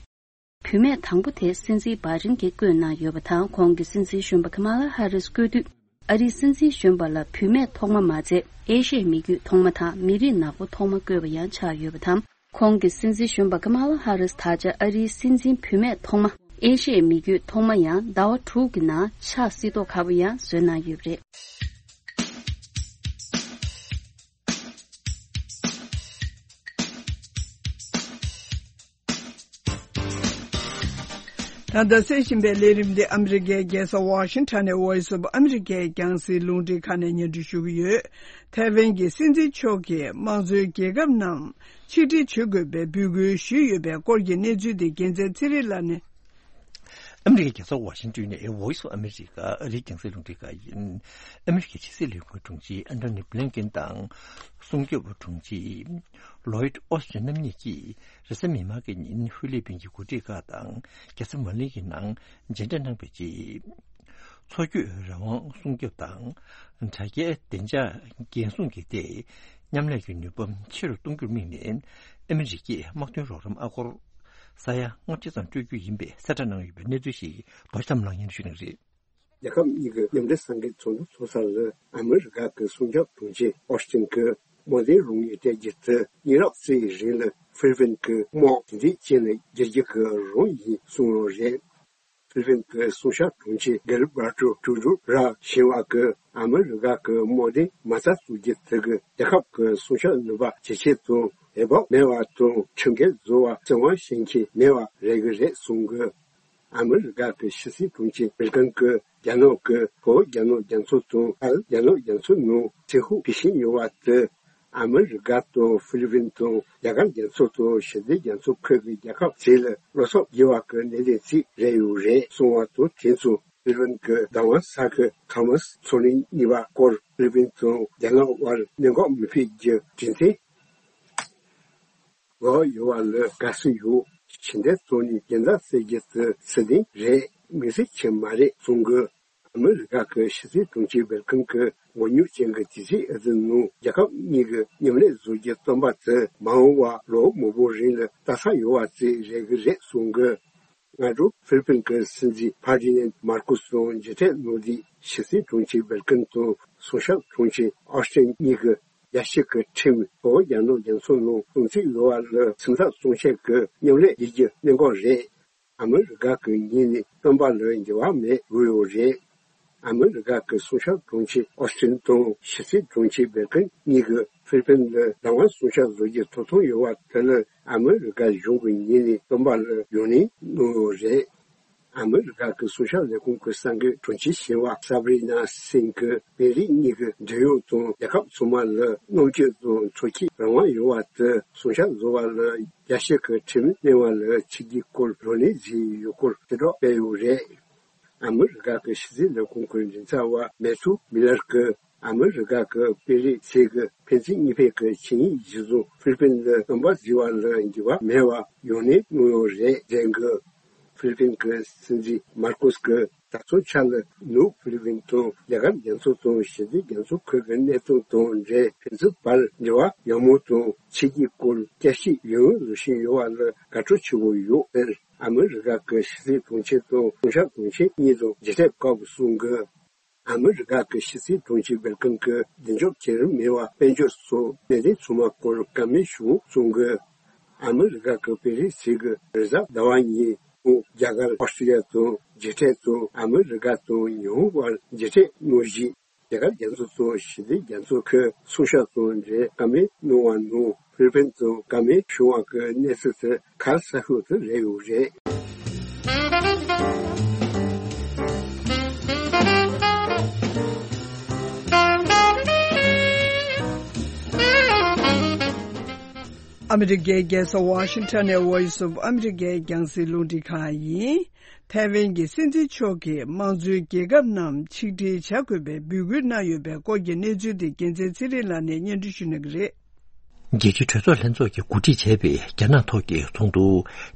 བུད་མེད་དང་པོ་དེ་སྲིད་འཛིན་བྷའི་ཏིན་གྱིས་བསྐོས་གནང་ཡོད་པ་དང་། ཁོང་གིས་སྲིད་འཛིན་གཞོན་པ་ཀ་མ་ལ་ཧ་རིས་བསྐོས་དུས། ཨ་རིའི་སྲིད་འཛིན་གཞོན་པ་ལ་བུད་མེད་ཐོག་མ་མ་ཚད་ཨེ་ཤི་ཡའི་མི་རྒྱུད་ཐོག་མ་དང་མི་རིགས་ནག་པོ་ཐོག་མ་བསྐོས་པ་ཡང་ཆགས་ཡོད་པ་དང་། ཁོང་གིས་སྲིད་འཛིན་གཞོན་པ་ཀ་མ་ལ་ཧ་རིས་ད་ཆ་ཨ་རིའི་སྲིད་འཛིན་བུད་མེད་ཐོག་མ། ཨེ་ཤི་ཡའི་མི་རྒྱུད་ཐོག་མ་ཡང་ཟླ་བ་དྲུག་གི་ནང་ཆགས་སྲིད་མདོག་ཁ་པོ་ཡང་བཟོས་གནང་ཡོད་པ་རེད། ད་ལྟ་གསན་བཞིན་པའི་ལས་རིམ་འདི་ཨ་མི་རི་ཀའི་རྒྱལ་ས་ཝ་ཤིང་ཊོན་ནས་Voice of America རྒྱང་སྲིང་རླུང་འཕྲིན་ཁང་ནས་སྙན་སྒྲོན་ཞུ་གི་ཡོད། ཐའེ་ཝན་གྱི་སྲིད་འཛིན་མཆོག་གིས་དམངས་གཙོའི་རྒྱལ་ཁབ་རྣམས་ཆིག་སྒྲིལ་བྱེད་དགོས་པའི་འབོད་སྐུལ་ཞུས་ཡོད་པའི་སྐོར་གྱི་གནས་ཚུལ་དེ་རྒྱལ་མཚན་ཚེ་རིང་ལགས་ནས། ཨ་མི་རི་ཀའི་རྒྱལ་ས་ཝ་ཤིང་ཊོན་ནས་Voice of America ཨ་རིའི་རྒྱང་སྲིང་རླུང་འཕྲིན་ཁང་ཡིན། ཨ་མི་རི་ཀའི་ཕྱི་སྲིད་ལས་ཁུངས་དྲུང་ཆེ་ཨན་ཐོ་ནི་བྷི་ལིན་ཀེན་དང་། སྲུང་སྐྱོབ་དྲུང་ཆེ་ལོའིད་ཨོ་སི་ཊིན་རྣམ་གཉིས་ཀྱིས་རེས་གཟའ་མིག་དམར་གྱི་ཉིན་ཧྥི་ལི་པིན་གྱི་འགོ་ཁྲིད་ཁག་དང་རྒྱལ་ས་མ་ནི་ལའི་ནང་མཇལ་འཕྲད་གནང་བའི་རྗེས། མཚོ་སྐྱོད་རང་དབང་སྲུང་སྐྱོབ་དང་། དྲ་རྒྱའི་བདེ་འཇགས་འགན་སྲུང་གི་ཐད་མཉམ་ལས་ཀྱི་ནུས་པ་ཆེ་རུ་གཏོང་རྒྱུར་དམིགས་ནས། ཨ་མི་རི་ཀས་དམག་དོན་རོགས་རམ་ཨ་སྒོར་ས་ཡ་ལྔ་བཅུ་ཙམ་སྤྲོད་རྒྱུ་ཡིན་པའི་གསལ་བསྒྲགས་གནང་ཡོད་པའི་གནས་ཚུལ་ཞིག་རྡོ་རྗེ་ཐར་པ་ལགས་སྙན་ཞུ་གནང་གི་རེད། རྒྱལ་ཁབ་གཉིས་ཀྱི་མཉམ་འབྲེལ་གསར་འགོད་ཚོགས་འདུ་ཚོགས་ས་ལ་ཨ་མི་རི་ཀ་གི་སྲུང་སྐྱོབ་དྲུང་ཆེ་ཨོ་སི་ཊིན་གྱིས་རྨོངས་དད་རང་དབང་སྤྲད་རྒྱུ་དེ་ཉེ་རབས་ཚོའི་རིང་ལ་ཧྥི་ལི་པིན་གྱི་དམག་དེ་འདྲའི་རྐྱེན་ལ་བསྒྱུར་རྒྱུ་གི་རང་ཡིན་གསུངས་ཡོད་རེད། ཧྥི་ལི་པིན་གྱི་སྲུང་སྐྱོབ་དྲུང་ཆེ་གེ་ལ་བྷར་ཏོ་ཀྲུ་ཀྲུ་ར་ཞིང་བ་གིས་ཨ་མི་རི་ཀ་གི་དམག་སྡེ་མ་རྩ་བཙུགས་རྒྱུ་དེ་གིས་རྒྱལ་ཁབ་ཀྱི་སྲུང་སྐྱོབ་ནུས་པ་ཇེ་ཆེ་དང་འོས་བབ་མེད་པ་དང་ཁྲིམས་འགལ་བཟོ་བ་བཙན་དབང་བྱེད་མཁན་མེད་པ་རེད་གི་རེད་གསུངས་གི། ཨ་མི་རི་ཀ་གི་ཕྱི་སྲིད་དྲུང་ཆེ་བྷི་ལི་ཀིན་གྱིས་རྒྱ་ནག་གིས་བོད་རྒྱ་ནག་རྒྱ་མཚོ་དང་ཨར་རྒྱ་ནག་རྒྱ་མཚོ་ནང་ཚེ་ཧུག་གི་ཤིང་ཉོ་བ་དེ། ཨ་མི་རི་ཀ་དང་ཧྥི་ལི་པིན་དང་རྒྱ་གར་རྒྱ་མཚོ་དང་ཞི་བདེ་རྒྱ་མཚོ་ཁུལ་གྱི་རྒྱལ་ཁབ་ཚོ་ལ་བློ་འཚབ་རྒྱས་པ་གི་གནད་དོན་ཞིག་རེད་ཡོད་རེད་གསུངས་པ་དང་། དེ་ཚོ་ཧྥི་ལི་པིན་གྱི་བདག་དབང་ས་ཁུལ་ཁ་མཱས་མཚོ་གླིང་གཉིས་པ་སྐོར་ཧྥི་ལི་པིན་དང་རྒྱ་ནག་དབར་གནད་འགག་མི་འཕེལ་རྒྱུ་རྒྱུ་མཚན་འགོག་ཡོད་པ་ལ་དགའ་བསུ་ཡོད། ཕྱི་འབྲེལ་ཚོགས་གཉིས་རྒྱལ་མཚམས་བསལ་རྒྱུ་དེ་སྲིད་དོན་རེད། དམིགས་བསལ་ཅིག་མ་རེད་གསུངས་གི། ཨ་མི་རི་ཀ་གི་ཕྱི་སྲིད་དྲུང་ཆེ་བྷི་ལི་ཀིན་གྱི་མགོ་རྙོག་ཅན་གྱི་དུས་ཚིགས་འདིའི་ནང་རྒྱལ་ཁབ་གཉིས་ཀྱི་མཉམ་ལས་བཟོ་རྒྱུའི་བསམ་པ་དེ་མ་འོངས་པ་ལོ་མང་པོའི་རིང་ལ་ལྟ་ས་ཡོད་པ་ཅིག་རེད་གི་རེད་གསུངས་གི། སྔ་དྲོ་ཧྥི་ལི་པིན་གྱི་སྲིད་འཛིན་ཕར་ཌི་ནན་མར་ཀོ་སི་དང་མཇལ་འཕྲད་གནང་དུས་ཕྱི་སྲིད་དྲུང་ཆེ་བྷི་ལི་ཀིན་དང་སྲུང་སྐྱོབ་དྲུང་ཆེ་ཨོ་སི་ཊིན་གཉིས་ཀྱིས་རྒྱལ་སྤྱི་གི་ཁྲིམས་བོད་རྒྱ་ནག་རྒྱ་མཚོ་ནང་སྲུང་བརྩི་ཡོད་པ་ལ་སེམས་འཚབ་གཏོང་ཆེད་ཀྱི་མཉམ་ལས་བྱེད་རྒྱུ་གནད་འགག་རེད། ཨ་མི་རི་ཀ་གི་ངོས་ནས་བསམ་པ་ལ་འགྱུར་བ་མེད་དགོས་ཡོད་རེད། ཨ་མི་རི་ཀ་གི་སྲུང་སྐྱོབ་དྲུང་ཆེ་ཨོ་སི་ཊིན་དང་ཕྱི་སྲིད་དྲུང་ཆེ་བྷི་ལི་ཀིན་གཉིས་ཀྱིས་ཧྥི་ལི་པིན་ལ་བདག་དབང་སྲུང་སྐྱོབ་བཟོ་རྒྱུའི་ཐོབ་ཐང་ཡོད་པ་དེ་ལ་ཨ་མི་རི་ཀ་གཞུང་གི་ངོས་ནས་བསམ་པ་ལ་ཡང་སྙིང་གནང་ཡོད་རེད། ཨ་མི་རི་ཀ་གི་སྲུང་སྐྱོབ་ལས་ཁུངས་ཀྱི་གསར་འགོད་དྲུང་ཆེ་ཞི་བ་སབ་རི་ན་སིང་གིས་པེ་རི་གཉིས་ཀྱི་འབྲེལ་ཡོད་དང་རྒྱལ་ཁབ་ཚང་མ་ལ་གནོད་སྐྱོན་དང་འཚོ་སྐྱེལ་རང་དབང་ཡོད་པ་དེ་སྲུང་སྐྱོབ་བཟོ་བ་ལ་རྒྱལ་སྤྱི་གི་ཁྲིམས་གནང་བ་ལ་ཆིག་སྒྲིལ་སྐོར་བགྲོ་གླེང་བྱས་ཡོད་སྐོར་ཕྱིར་སློག་སྤེལ་ཡོད་རེད། ཨ་མི་རི་ཀ་གི་ཕྱི་སྲིད་ལས་ཁུངས་ཀྱི་མགྲིན་ཚབ་པ་མེ་ཐུ་མི་ལར་གྱིས་ཨ་མི་རི་ཀ་གི་པེ་རི་ཟུར་གྱི་ཕན་ཚུན་གཉིས་ཕན་གྱི་ཆིངས་ཡིག་གཞིར་བཟུང་ཧྥི་ལི་པིན་ལ་རྣམ་པ་འགྱུར་བ་ལ་འགྱུར་བ་མེད་པ་ཡོང་ནས་གནང་ཡོད་རེད་ཟེར་གི། ཧྥི་ལི་པིན་གྱི་སྲིད་འཛིན་མར་ཀོས་ཀྱིས་ད་ཐེངས་ཆར་ལ་ནུབ་ཧྥི་ལི་པིན་དང་རྒྱ་གར་རྒྱ་མཚོ་དང་ཞི་བདེ་རྒྱ་མཚོ་ཁུལ་གྱི་གནད་དོན་དང་འབྲེལ་ཕན་ཚུན་བར་འབྲེལ་བ་ཡག་མོ་དང་ཕྱི་རྒྱལ་སྐོར་བསྐྱར་ཞིབ་ཡོང་བཞིན་ཡོད་པ་ལ་དགའ་སྤྲོ་ཆེན་པོ་ཡོད་ཟེར། ཨ་མི་རི་ཀ་གི་ཕྱི་སྲིད་དྲུང་ཆེ་དང་སྲུང་སྐྱོབ་དྲུང་ཆེ་གཉིས་དང་མཇལ་འཕྲད་སྐབས་གསུངས་གི། ཨ་མི་རི་ཀ་གི་ཕྱི་སྲིད་དྲུང་ཆེ་སྦེལ་ཀམ་གྱི་བདེ་འཇགས་བྱེད་རིན་མེད་པ་དཔལ་འབྱོར་སོགས་གནད་དོན་ཚང་མ་སྐོར་བཀའ་མོལ་ཞུས་གསུངས་གི། ཨ་མི་རི་ཀ་གི་པེ་རི་ཟུར་གྱི་རེས་གཟའ་ཟླ་བ་ཉིན་ཁོང་རྒྱ་གར་ཨོ་སི་ཀྲི་ཡ་དང་མཇལ་འཕྲད་དང་ཨ་མི་རི་ཀ་དང་ཉི་ཧོང་བར་མཇལ་འཕྲད་གནང་རྗེས། རྒྱ་གར་རྒྱ་མཚོ་དང་ཞི་བདེ་རྒྱ་མཚོ་ཁུལ་སྲུང་སྐྱོབ་དང་འབྲེལ་བཀའ་མོལ་གནང་བ་ནང་ཧྥི་ལི་པིན་དང་བཀའ་མོལ་བྱུང་བ་གི་གནས་ཚུལ་དེ་ག་རེ་ཟེར་ཤོག་དེ་རེད་ཡོད་རེད། ཨ་མི་རི་ཀའི་རྒྱལ་ས་ཝ་ཤིང་ཊོན་ནས་Voice of America རྒྱང་སྲིང་རླུང་འཕྲིན་ཁང་ཡིན། ཐའེ་ཝན་གྱི་སྲིད་འཛིན་མཆོག་གིས་དམངས་གཙོའི་རྒྱལ་ཁབ་རྣམས་ཆིག་སྒྲིལ་བྱ་དགོས་པའི་འབོད་སྐུལ་གནང་ཡོད་པའི་སྐོར་གྱི་གནས་ཚུལ་དེ་རྒྱལ་མཚན་ཚེ་རིང་ལགས་ནས་སྙན་སྒྲོན་ཞུ་གནང་གི་རེད། རྒྱལ་སྤྱིའི་གྲོས་ཚོགས་ལྷན་ཚོགས་ཀྱིས་གོ་སྒྲིག་བྱས་པའི་རྒྱ་ནག་ཐོག་གི་ཚོགས་འདུ་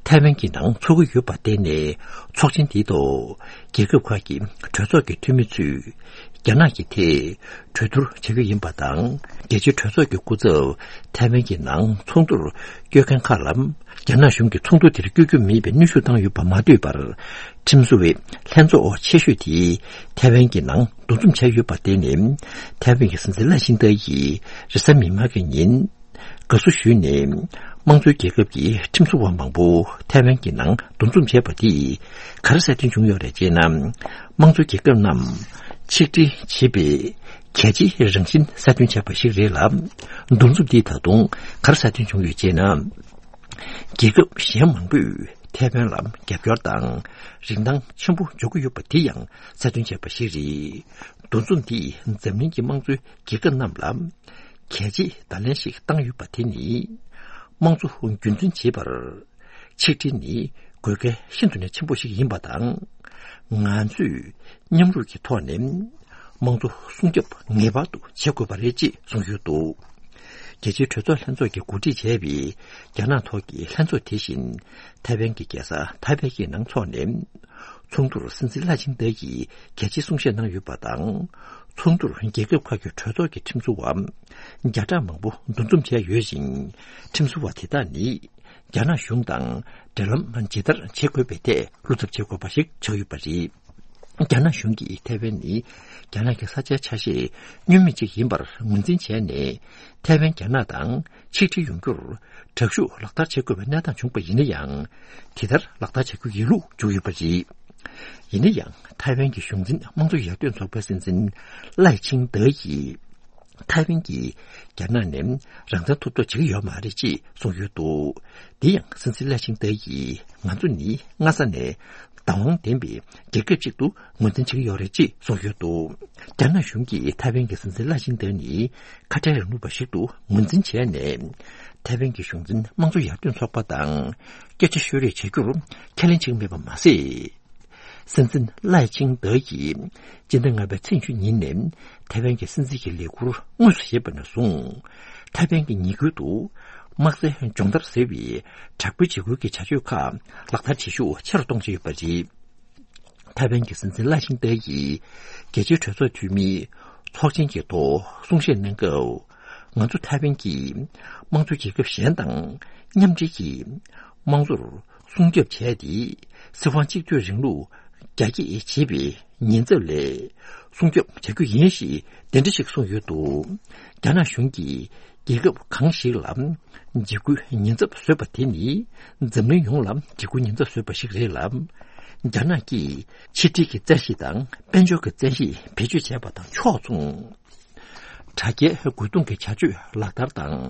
ཐའེ་ཝན་གྱི་ནང་འཚོགས་ཀྱི་ཡོད་པར་བརྟེན་ནས། ཚོགས་ཆེན་འདིའི་ཐོག་རྒྱལ་ཁབ་ཁག་གི་གྲོས་ཚོགས་ཀྱི་འཐུས་མི་ཚོས། རྒྱ་ནག་གི་ཐད་གྲོས་བསྡུར་བྱ་རྒྱུ་ཡིན་པ་དང་། རྒྱལ་སྤྱིའི་གྲོས་ཚོགས་ཀྱི་སྐུ་ཚབ་ཐའེ་ཝན་གྱི་ནང་ཚོགས་འདུར་བསྐྱོད་མཁན་ཁག་ལ། རྒྱ་ནག་གཞུང་གིས་ཚོགས་འདུ་དེར་བསྐྱོད་རྒྱུ་མེད་པའི་གནོན་ཤུགས་བཏང་ཡོད་པ་མ་ལྟོས་པར། ཁྲིམས་བཟོ་བའི་ལྷན་ཚོགས་ཆེ་ཤོས་དེ་ཐའེ་ཝན་གྱི་ནང་འདུ་འཛོམས་བྱས་ཡོད་པར་བརྟེན་ནས། ཐའེ་ཝན་གྱི་སྲིད་འཛིན་ལའེ་ཆིང་ཏེ་ཡིས་རེས་གཟའ་མིག་དམར་གྱི་ཉིན། དགའ་བསུ་ཞུས་ནས། དམངས་གཙོའི་རྒྱལ་ཁབ་ཀྱི་ཁྲིམས་བཟོ་བ་མང་པོ་ཐའེ་ཝན་གྱི་ནང་འདུ་འཛོམས་བྱས་པ་དེས་ག་རེ་གསལ་སྟོན་བྱུང་ཡོད་རེད་ཅེ་ན། དམངས་གཙོའི་རྒྱལ་ཁབ་རྣམས་ཆིག་སྒྲིལ་བྱེད་པའི་གལ་ཆེའི་རང་བཞིན་གསལ་སྟོན་བྱས་པ་ཞིག་རེད་ལ། འདུ་འཛོམས་འདིས་ད་དུང་ག་རེ་གསལ་སྟོན་བྱུང་ཡོད་ཅེ་ན། རྒྱལ་ཁབ་གཞན་མང་པོས་ཐའེ་ཝན་ལ་རྒྱབ་སྐྱོར་དང་རིན་ཐང་ཆེན་པོ་འཇོག་གི་ཡོད་པ་དེ་ཡང་གསལ་སྟོན་བྱས་པ་ཞིག་རེད། འདུ་འཛོམས་འདིས་འཛམ་གླིང་གི་དམངས་གཙོའི་རྒྱལ་ཁབ་རྣམས་ལ། གལ་ཆེའི་བརྡ་ལན་ཞིག་བཏང་ཡོད་པ་དེ་ནི། དམངས་གཙོ་རྒྱུན་འཛིན་བྱེད་པར། ཆིག་སྒྲིལ་ནི་དགོས་གལ་ཤིན་ཏུ་ནས་ཆེན་པོ་ཞིག་ཡིན་པ་དང་། ང་ཚོས་མཉམ་རུབ་ཀྱི་ཐོག་ནས། དམངས་གཙོ་སྲུང་སྐྱོབ་ངེས་པར་དུ་བྱེད་དགོས་པ་རེད་ཅེས་གསུངས་ཡོད་འདུག་རྒྱལ་སྤྱིའི་གྲོས་ཚོགས་ལྷན་ཚོགས་ཀྱིས་གོ་སྒྲིག་བྱས་པའི་རྒྱ་ནག་ཐོག་གི་ལྷན་ཚོགས་དེ་བཞིན། ཐའེ་ཝན་གྱི་རྒྱལ་ས་ཐའེ་པེ་ཡི་ནང་འཚོགས་ནས། ཚོགས་འདུར་སྲིད་འཛིན་ལའེ་ཆིང་ཏེ་ཡིས་གལ་ཆེའི་གསུང་བཤད་གནང་ཡོད་པ་དང་། ཚོགས་འདུར་རྒྱལ་ཁབ་ཁག་གི་གྲོས་ཚོགས་ཀྱི་ཁྲིམས་བཟོ་བ་བརྒྱ་ཕྲག་མང་པོ་འདུ་འཛོམས་བྱས་ཡོད་ཅིང་། ཁྲིམས་བཟོ་བ་དེ་དག་ནི་རྒྱ་ནག་གཞུང་དང་འབྲེལ་ལམ་ཇི་ལྟར་བྱེད་དགོས་པའི་ཐད་བློ་འཚབ་བྱེད་དགོས་པ་ཞིག་ཆགས་ཡོད་པ་རེད། རྒྱ་ནག་གཞུང་གིས་ཐའེ་ཝན་ནི་རྒྱ་ནག་གི་ས་ཆའི་ཆ་ཤས་བསྙོན་མེད་ཅིག་ཡིན་པར་ངོས་འཛིན་བྱས་ནས། ཐའེ་ཝན་རྒྱ་ནག་དང་ཆིག་སྒྲིལ་ཡོང་རྒྱུར་དྲག་ཤུགས་ལག་བསྟར་བྱེད་དགོས་པའི་གནས་སྟངས་བྱུང་པ་ཡིན་ན་ཡང་། དེ་ལྟར་ལག་བསྟར་བྱ་རྒྱུ་ཡིན་ལུགས་བརྗོད་ཡོད་པ་རེད། ཡིན་ན་ཡང་ཐའེ་ཝན་གྱི་གཞུང་འཛིན་དམངས་གཙོ་ཡར་ཐོན་ཚོགས་པའི་སྲིད་འཛིན་ལའེ་ཆིང་ཏེ་ཡིས། ཐའེ་ཝན་གྱིས་རྒྱ་ནག་ནས་རང་བཙན་ཐོབ་ཐབས་བྱེད་ཀྱི་ཡོད་མ་རེད་ཅེས་གསུངས་ཡོད་འདུག་དེ་ཡང་སྲིད་འཛིན་ལའེ་ཆིང་ཏེ་ཡིས། ང་ཚོ་ནི་སྔ་ས་ནས་བདག་དབང་ལྡན་པའི་རྒྱལ་ཁབ་ཅིག་ཏུ་ངོས་འཛིན་བྱེད་ཀྱི་ཡོད་རེད་ཅེས་གསུངས་ཡོད་འདུག་རྒྱ་ནག་གཞུང་གིས་ཐའེ་ཝན་གྱི་སྲིད་འཛིན་ལའེ་ཆིང་ཏེ་ནི་ཁ་བྲལ་རིང་ལུགས་པ་ཞིག་ཏུ་ངོས་འཛིན་བྱས་ནས། ཐའེ་ཝན་གྱི་གཞུང་འཛིན་དམངས་གཙོ་ཡར་ཐོན་ཚོགས་པ་དང་སྐད་ཆ་ཤོད་རེས་བྱ་རྒྱུར་ཁས་ལེན་བྱེད་ཀྱི་མེད་པ་མ་ཟད། སྲིད་འཛིན་ལའེ་ཆིང་ཏེ་ཡིས་སྤྱི་ཟླ་ལྔ་པའི་ཚེས་བཅུ་ཉིན་ནས་ཐའེ་ཝན་གྱི་སྲིད་འཛིན་གྱི་ལས་འཁུར་དངོས་སུ་བཞེས་པ་ནས་བཟུང་། ཐའེ་ཝན་གྱི་ཉེ་ཁུལ་དུ་དམག་རྩལ་སྦྱོང་བརྡར་ཟེར་བའི་དྲག་པོའི་འཇིགས་སྐུལ་གྱི་བྱ་སྤྱོད་ཁག་ལག་བསྟར་བྱེད་ཤུགས་ཆེ་རུ་གཏོང་བཞིན་ཡོད་པ་རེད། ཐའེ་ཝན་གྱི་སྲིད་འཛིན་ལའེ་ཆིང་ཏེ་ཡིས་རྒྱལ་སྤྱིའི་གྲོས་ཚོགས་འཐུས་མིའི་ཚོགས་ཆེན་གྱི་ཐོག་གསུང་བཤད་གནང་སྐབས། ང་ཚོ་ཐའེ་ཝན་གྱིས་དམངས་གཙོ་རྒྱལ་ཁབ་གཞན་དང་མཉམ་འབྲེལ་གྱིས་དམངས་གཙོར་སྲུང་སྐྱོབ་བྱས་ཏེ། སྲིད་དབང་གཅིག་སྡུད་རིང་ལུགས་རྒྱ་སྐྱེད་བྱེད་པའི་ཉེན་ཚབས་ལས་སྲུང་སྐྱོབ་བྱ་རྒྱུ་ཡིན་ཞེས་དེ་འདྲ་ཞིག་གསུངས་ཡོད་འདུག་རྒྱ་ནག་གཞུང་གིས་རྒྱལ་ཁབ་གང་ཞིག་ལ་འཇིགས་སྐུལ་ཉེན་ཚབས་བཟོས་པ་དེ་ནི་འཛམ་གླིང་ཡོངས་ལ་འཇིགས་སྐུལ་ཉེན་ཚབས་བཟོས་པ་ཞིག་རེད་ལ། རྒྱ་ནག་གིས་ཕྱི་འབྲེལ་གྱི་བཙན་ཤེད་དང་དཔལ་འབྱོར་གྱི་བཙན་ཤེད་བེད་སྤྱོད་བྱས་པ་དང་ཕྱོགས་མཚུངས། དྲ་རྒྱའི་རྒོལ་རྡུང་གི་བྱ་སྤྱོད་ལག་བསྟར་དང་།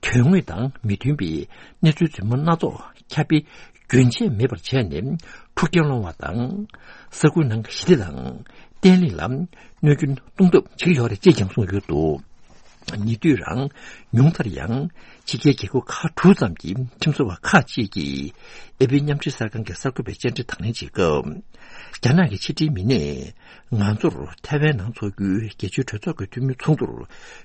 དོན་དངོས་དང་མི་མཐུན་པའི་གནས་ཚུལ་རྫུན་མ་སྣ་ཚོགས་ཁྱབ་སྤེལ་ རྒྱུན་ཆད་མེད་པར་བྱས་ནས་འཁྲུག་རྐྱེན་སློང་བ་དང་། ས་ཁུལ་ནང་གི་ཞི་བདེ་དང་བརྟན་ལྷིང་ལ་གནོད་སྐྱོན་གཏོང་ཐབས་བྱེད་ཀྱི་ཡོད་རེད་ཅེས་ཀྱང་གསུངས་ཡོད་འདུག། ཉེ་དུས་རང་ཉུང་མཐར་ཡང་ཕྱི་རྒྱལ་རྒྱལ་ཁབ་ཁག་དྲུག་ཙམ་གྱི་ཁྲིམས་བཟོ་བ་ཁག་ཅིག་གིས་ཨེ་པི་མཉམ་འབྲེལ་གསར་ཁང་གི་གསར་འགོད་པའི་བཅར་འདྲི་དང་ལེན་བྱེད་སྐབས། རྒྱ་ནག་གི་ཕྱི་འབྲེལ་མི་སྣས་ང་ཚོར་ཐའེ་ཝན་ནང་འཚོགས་རྒྱུའི་རྒྱལ་སྤྱིའི་གྲོས་ཚོགས་ཀྱི་འཐུས་མིའི་ཚོགས་འདུར་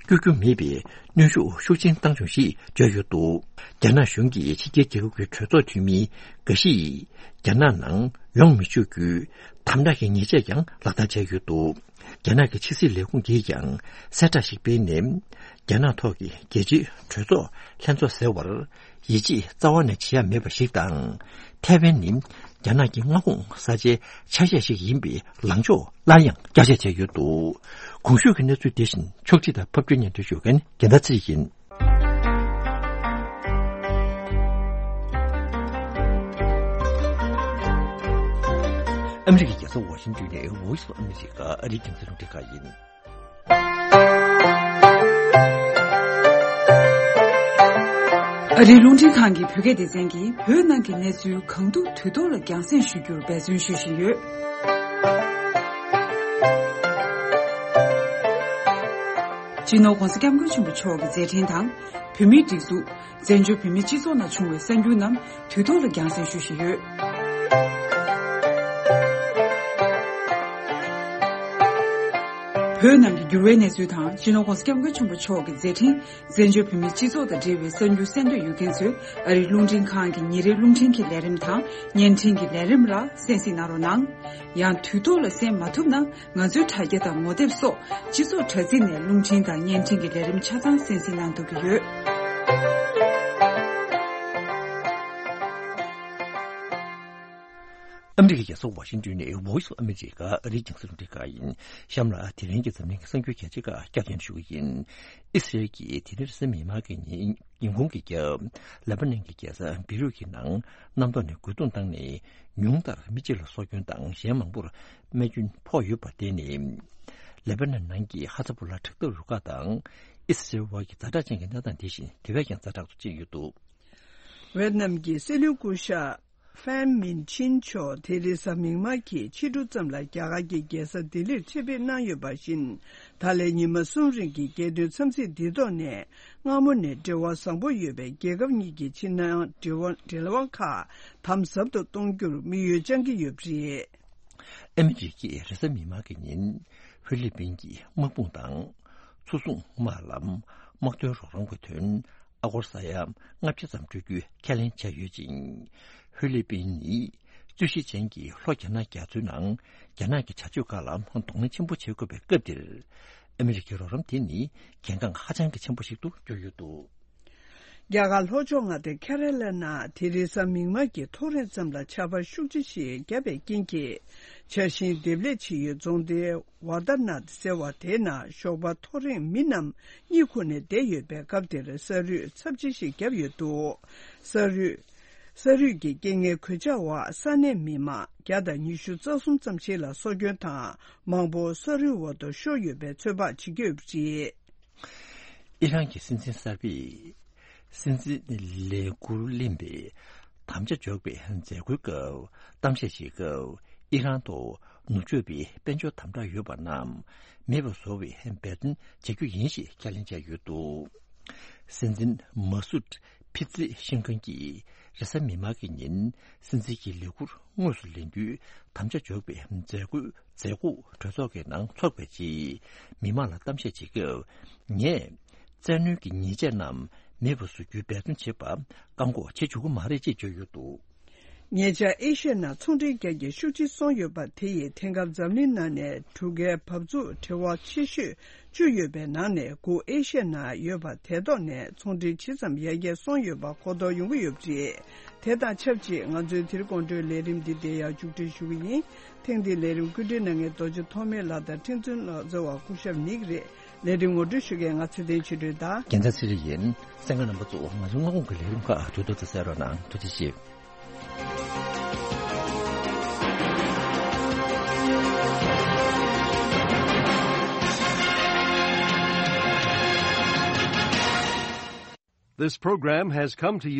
བསྐྱོད་རྒྱུ་མེད་པའི་གནོན་ཤུགས་ཤུགས་ཆེན་བཏང་བྱུང་ཞེས་བརྗོད་ཡོད་འདུག། རྒྱ་ནག་གཞུང་གིས་ཕྱི་རྒྱལ་རྒྱལ་ཁབ་ཀྱི་གྲོས་ཚོགས་འཐུས་མི་འགའ་ཞིག་རྒྱ་ནག་ནང་ཡོང་མི་ཆོག་རྒྱུའི་དམ་དྲག་གི་ཉེས་ཆད་ཀྱང་ལག་བསྟར་བྱས་ཡོད་འདུག། རྒྱ་ནག་གི་ཕྱི་སྲིད་ལས་ཁུངས་ཀྱིས་ཀྱང་གསལ་བསྒྲགས་ཤིག་སྤེལ་ནས། རྒྱ་ནག་ཐོག་གི་རྒྱལ་སྤྱིའི་གྲོས་ཚོགས་ལྷན་ཚོགས་ཟེར་བར་ཡིད་ཆེས་རྩ་བ་ནས་བྱེད་ཡ་མེད་པ་ཞིག་དང་། ཐའེ་ཝན་ནི་རྒྱ་ནག་གི་མངའ་ཁོངས་ས་ཆའི་ཆ་ཤས་ཤིག་ཡིན་པའི་ལངས་ཕྱོགས་སླར་ཡང་བསྐྱར་བཤད་བྱས་ཡོད་འདུག། གོང་ཞུས་ཀྱི་གནས་ཚུལ་དེ་བཞིན་ཕྱོགས་སྒྲིག་དང་ཕབ་སྒྱུར་སྙན་སྒྲོན་ཞུ་མཁན་རྒྱལ་མཚན་ཚེ་རིང་ཡིན། ཨ་མི་རི་ཀའི་རྒྱལ་ས་ཝ་ཤིང་ཏོན་ནས་Voice of America ཨ་རིའི་རྒྱང་སྲིང་རླུང་འཕྲིན་ཁང་ཡིན། ཨ་རིའི་རླུང་འཕྲིན་ཁང་གི་བོད་སྐད་སྡེ་ཚན་གྱིས་བོད་ནང་གི་གནས་ཚུལ་གང་ཐུབ་དུས་ཐོག་ལ་རྒྱང་སྲིང་ཞུ་རྒྱུར་འབད་བརྩོན་ཞུ་བཞིན་ཡོད། སྤྱི་ནོར་༧གོང་ས་༧སྐྱབས་མགོན་ཆེན་པོ་མཆོག་གི་མཛད་འཕྲིན་དང་། བོད་མིའི་སྒྲིག་འཛུགས། བཙན་བྱོལ་བོད་མིའི་སྤྱི་ཚོགས་ནང་བྱུང་བའི་གསར་འགྱུར་རྣམས་དུས་ཐོག་ལ་རྒྱང་སྲིང་ཞུ་བཞིན་ཡོད། བོད་ནང་གི་འགྱུར་བའི་གནས་ཚུལ་དང་། སྤྱི་ནོར་༧གོང་ས་༧སྐྱབས་མགོན་ཆེན་པོ་མཆོག་གི་མཛད་འཕྲིན། བཙན་བྱོལ་བོད་མིའི་སྤྱི་ཚོགས་དང་འབྲེལ་བའི་གསར་འགྱུར་གསན་འདོད་ཡོད་མཁན་ཚོས་ཨ་རིའི་རླུང་འཕྲིན་ཁང་གི་ཉིན་རེའི་རླུང་འཕྲིན་གྱི་ལས་རིམ་དང་བརྙན་འཕྲིན་གྱི་ལས་རིམ་ལ་གསན་གཟིགས་གནང་རོགས་གནང་། ཡང་དུས་ཐོག་ལ་གསན་མ་ཐུབ་ན། ང་ཚོའི་དྲ་རྒྱ་དང་ངོ་དེབ་སོགས་སྤྱི་ཚོགས་དྲ་ཚིགས་ནས་རླུང་འཕྲིན་དང་བརྙན་འཕྲིན་གྱི་ལས་རིམ་ཆ་ཚང་གསན་གཟིགས་གནང་ཐུབ་ཀྱི་ཡོད། ཨ་མི་རི་ཀའི་རྒྱལ་ས་ཝ་ཤིང་ཏོན་ནས་Voice of America ཨ་རིའི་རྒྱང་སྲིང་རླུང་འཕྲིན་ཁང་ཡིན། གཤམ་ལ་དེ་རིང་གི་འཛམ་གླིང་གི་གསར་འགྱུར་གལ་ཆེ་ཁག་བསྐྱར་ཟློས་ཞུ་གི་ཡིན། ཨི་སི་རེལ་གྱིས་དེ་རིང་རེས་གཟའ་མིག་དམར་གྱི་ཉིན། ཉིན་གུང་གི་རྒྱབ། ལེ་པ་ནན་གྱི་རྒྱལ་ས་བེ་རུད་ཀྱི་ནང་གནམ་ཐོག་ནས་རྒོལ་རྡུང་བཏང་ནས། ཉུང་མཐར་མི་གཅིག་ལ་སྲོག་སྐྱོན་དང་གཞན་མང་པོར་རྨས་སྐྱོན་ཕོག་ཡོད་པ་དེ་ནི། ལེ་པ་ནན་ནང་གི་ཧ་ཛ་བུ་ལ་དྲག་འཐབ་རུ་ཁག་དང་། ཨི་སི་རེལ་བར་གྱི་ཛ་དྲག་ཅན་གྱི་གནས་སྟངས་དེ་བཞིན་དེ་བས་ཀྱང་ཛ་དྲག་ཏུ་ཕྱིན་ཡོད་འདུག། ཝེད་ནམ་གྱི་སྲིད་བློན་སྐུ་ཞབས་ཧྥན་མིན་ཆིན་མཆོག་དེ་རེས་གཟའ་མིག་དམར་གྱི་ཕྱི་དྲོ་ཙམ་ལ་རྒྱ་གར་གྱི་རྒྱལ་ས་ལྡི་ལིར་ཆེད་ཕེབས་གནང་ཡོད་པ་བཞིན། ད་ལན་ཉི་མ་གསུམ་རིང་གི་རྒྱལ་དོན་འཚམས་གཟིགས་འདི་ཐོག་ནས། སྔ་མོ་ནས་འབྲེལ་བ་བཟང་པོ་ཡོད་པའི་རྒྱལ་ཁབ་གཉིས་ཀྱི་ཕྱི་ནང་འབྲེལ་བ་འབྲེལ་བ་ཁག་དམ་ཟབ་ཏུ་གཏོང་རྒྱུར་དམིགས་ཡུལ་བཅངས་ཀྱི་ཡོད་པ་རེད། ཨ་མི་རི་ཀས་རེས་གཟའ་མིག་དམར་གྱི་ཉིན། ཧྥི་ལི་པིན་གྱི་དམག་དཔུང་དང་། མཚོ་སྲུང་དམག་ལ་དམག་དོན་རོགས་རམ་གྱི་དོན། ཨ་སྒོར་ས་ཡ་ལྔ་བརྒྱ་ཙམ་སྤྲོད་རྒྱུའི་ཁས་ལེན་བྱས་ཡོད་ཅིང་། ཧྥི་ལི་པིན་ནི་རྩོད་གཞི་ཅན་གྱི་ལྷོ་རྒྱ་ནག་རྒྱ་མཚོའི་ནང་རྒྱ་ནག་གི་བྱ་སྤྱོད་ཁག་ལ་གདོང་ལེན་ཆེན་པོ་བྱེད་དགོས་པའི་སྐབས་འདིར། ཨ་མི་རི་ཀའི་རོགས་རམ་དེ་ནི་གལ་འགངས་ཧ་ཅང་གི་ཆེན་པོ་ཞིག་ཏུ་གྱུར་ཡོད་འདུག། རྒྱ་གར་ལྷོ་ཕྱོགས་མངའ་སྡེ་ཁེ་ར་ལ་ན་དེ་རིང་གཟའ་མིག་དམར་གྱི་ཐོ་རེངས་ཙམ་ལ་ཆར་པ་ཤུགས་ཆེ་ཞིག་བརྒྱབ་པའི་རྐྱེན་གྱིས། ཆར་ཞིང་འདེབས་ལས་བྱེད་ཡུལ་རྫོང་སྡེ་ཝར་ད་ནཱཐ་ཟེར་བ་དེའི་ནང་ཞོགས་པ་ཐོ་རེངས་མི་རྣམས་གཉིད་ཁུག་ནས་བསྡད་ཡོད་པའི་སྐབས་དེར་ས་རུད་ཚབས་ཆེ་ཞིག་བརྒྱབ་ཡོད་འདུག། ས་རུད། ས་རུད་ཀྱི་རྐྱེན་ངན་གོད་ཆག་འོག་ས་གནས་མི་མང་བརྒྱ་དང་ཉི་ཤུ་རྩ་གསུམ་ཙམ་ཞིག་ལ་སྲོག་སྐྱོན་དང་མང་པོ་ས་རུད་འོག་ཏུ་ཤོར་ཡོད་པའི་ཚོད་དཔག་བྱེད་ཀྱི་ཡོད་པ་རེད། ཨི་རན་གྱི་སྲིད་འཛིན་གསར་པས་སྲིད་འཛིན་ལས་འཁུར་ལེན་པའི་དམ་བཅའ་འཇོག་པའི་མཛད་སྒོའི་སྐབས་གཏམ་བཤད་བྱེད་སྐབས། ཨི་རན་དུ་ནུབ་ཕྱོགས་པའི་དཔལ་འབྱོར་དམ་དྲག་ཡོད་པ་རྣམས་མེད་པར་བཟོ་བའི་འབད་བརྩོན་བྱ་རྒྱུ་ཡིན་ཞེས་ཁས་ལེན་བྱས་ཡོད་འདུག། སྲིད་འཛིན་མ་སུད་ཕི་ཙི་ཤིན་ཁན་གྱིས་རེས་གཟའ་མིག་དམར་གྱི་ཉིན་སྲིད་འཛིན་གྱི་ལས་འཁུར་དངོས་སུ་ལེན་རྒྱུའི་དམ་བཅའ་འཇོག་པའི་མཛད་སྒོའི་མཛད་སྒོ་གྲོས་ཚོགས་ཀྱི་ནང་འཚོགས་པའི་རྗེས། མི་མང་ལ་གཏམ་བཤད་བྱེད་སྐབས། ངས་བཙན་གནོན་གྱི་ཉེས་ཆད་རྣམས་མེད་པར་བཟོ་རྒྱུའི་འབད་བརྩོན་བྱེད་པ་བཀག་འགོག་བྱེད་ཆོག་གི་མ་རེད་ཅེས་བརྗོད་ཡོད་འདུག། ཉེ་ཆར་ཨེ་ཤི་ཡ་ནང་ཚོང་འབྲེལ་རྒྱ་སྐྱེད་ཤུགས་ཆེ་སོང་ཡོད་པ་དེ་ཡིས་དེང་སྐབས་འཛམ་གླིང་ནང་ནས་གྲུ་ཁའི་བབ་ཚུགས་བྲེལ་བ་ཆེ་ཤོས་བཅུ་ཡོད་པའི་ནང་ནས་དགུ་ཨེ་ཤི་ཡ་ནང་ཡོད་པ་དེ་ཐོག་ནས་ཚོང་འབྲེལ་ཇི་ཙམ་ཡར་རྒྱས་སོང་ཡོད་པ་གོ་རྟོགས་ཡོང་གི་ཡོད་པ་རེད། དེ་དང་ཆབས་ཅིག་ང་ཚོའི་དེ་རིང་དགོང་དྲོའི་ལས་རིམ་འདི་འདིར་ཡང་མཇུག་སྒྲིལ་ཞུ་གི་ཡིན། ཐེངས་འདིའི་ལས་རིམ་བཀོད་སྒྲིག་གནང་མཁན་རྡོ་རྗེ་ཐོགས་མེད་ལགས་དང་ཁྲེང་ཚུན་ལགས་གཙོས་པ་སྐུ་ཞབས་ནིག་རེད། ལས་རིམ་ངོ་སྤྲོད་ཞུ་མཁན་ང་ཚེ་བརྟན་ཆོས་སྒྲོན་དང་། རྒྱལ་མཚན་ཚེ་རིང་ཡིན། གསན་མཁན་རྣམ་པ་ཚོ་ང་ཚོའི་སྔ་དགོང་གི་ལས་རིམ་ཁག་དུས་ཐོག་ཏུ་གསན་རོགས་གནང་། ཐུགས་རྗེ་ཆེ། This program has come to you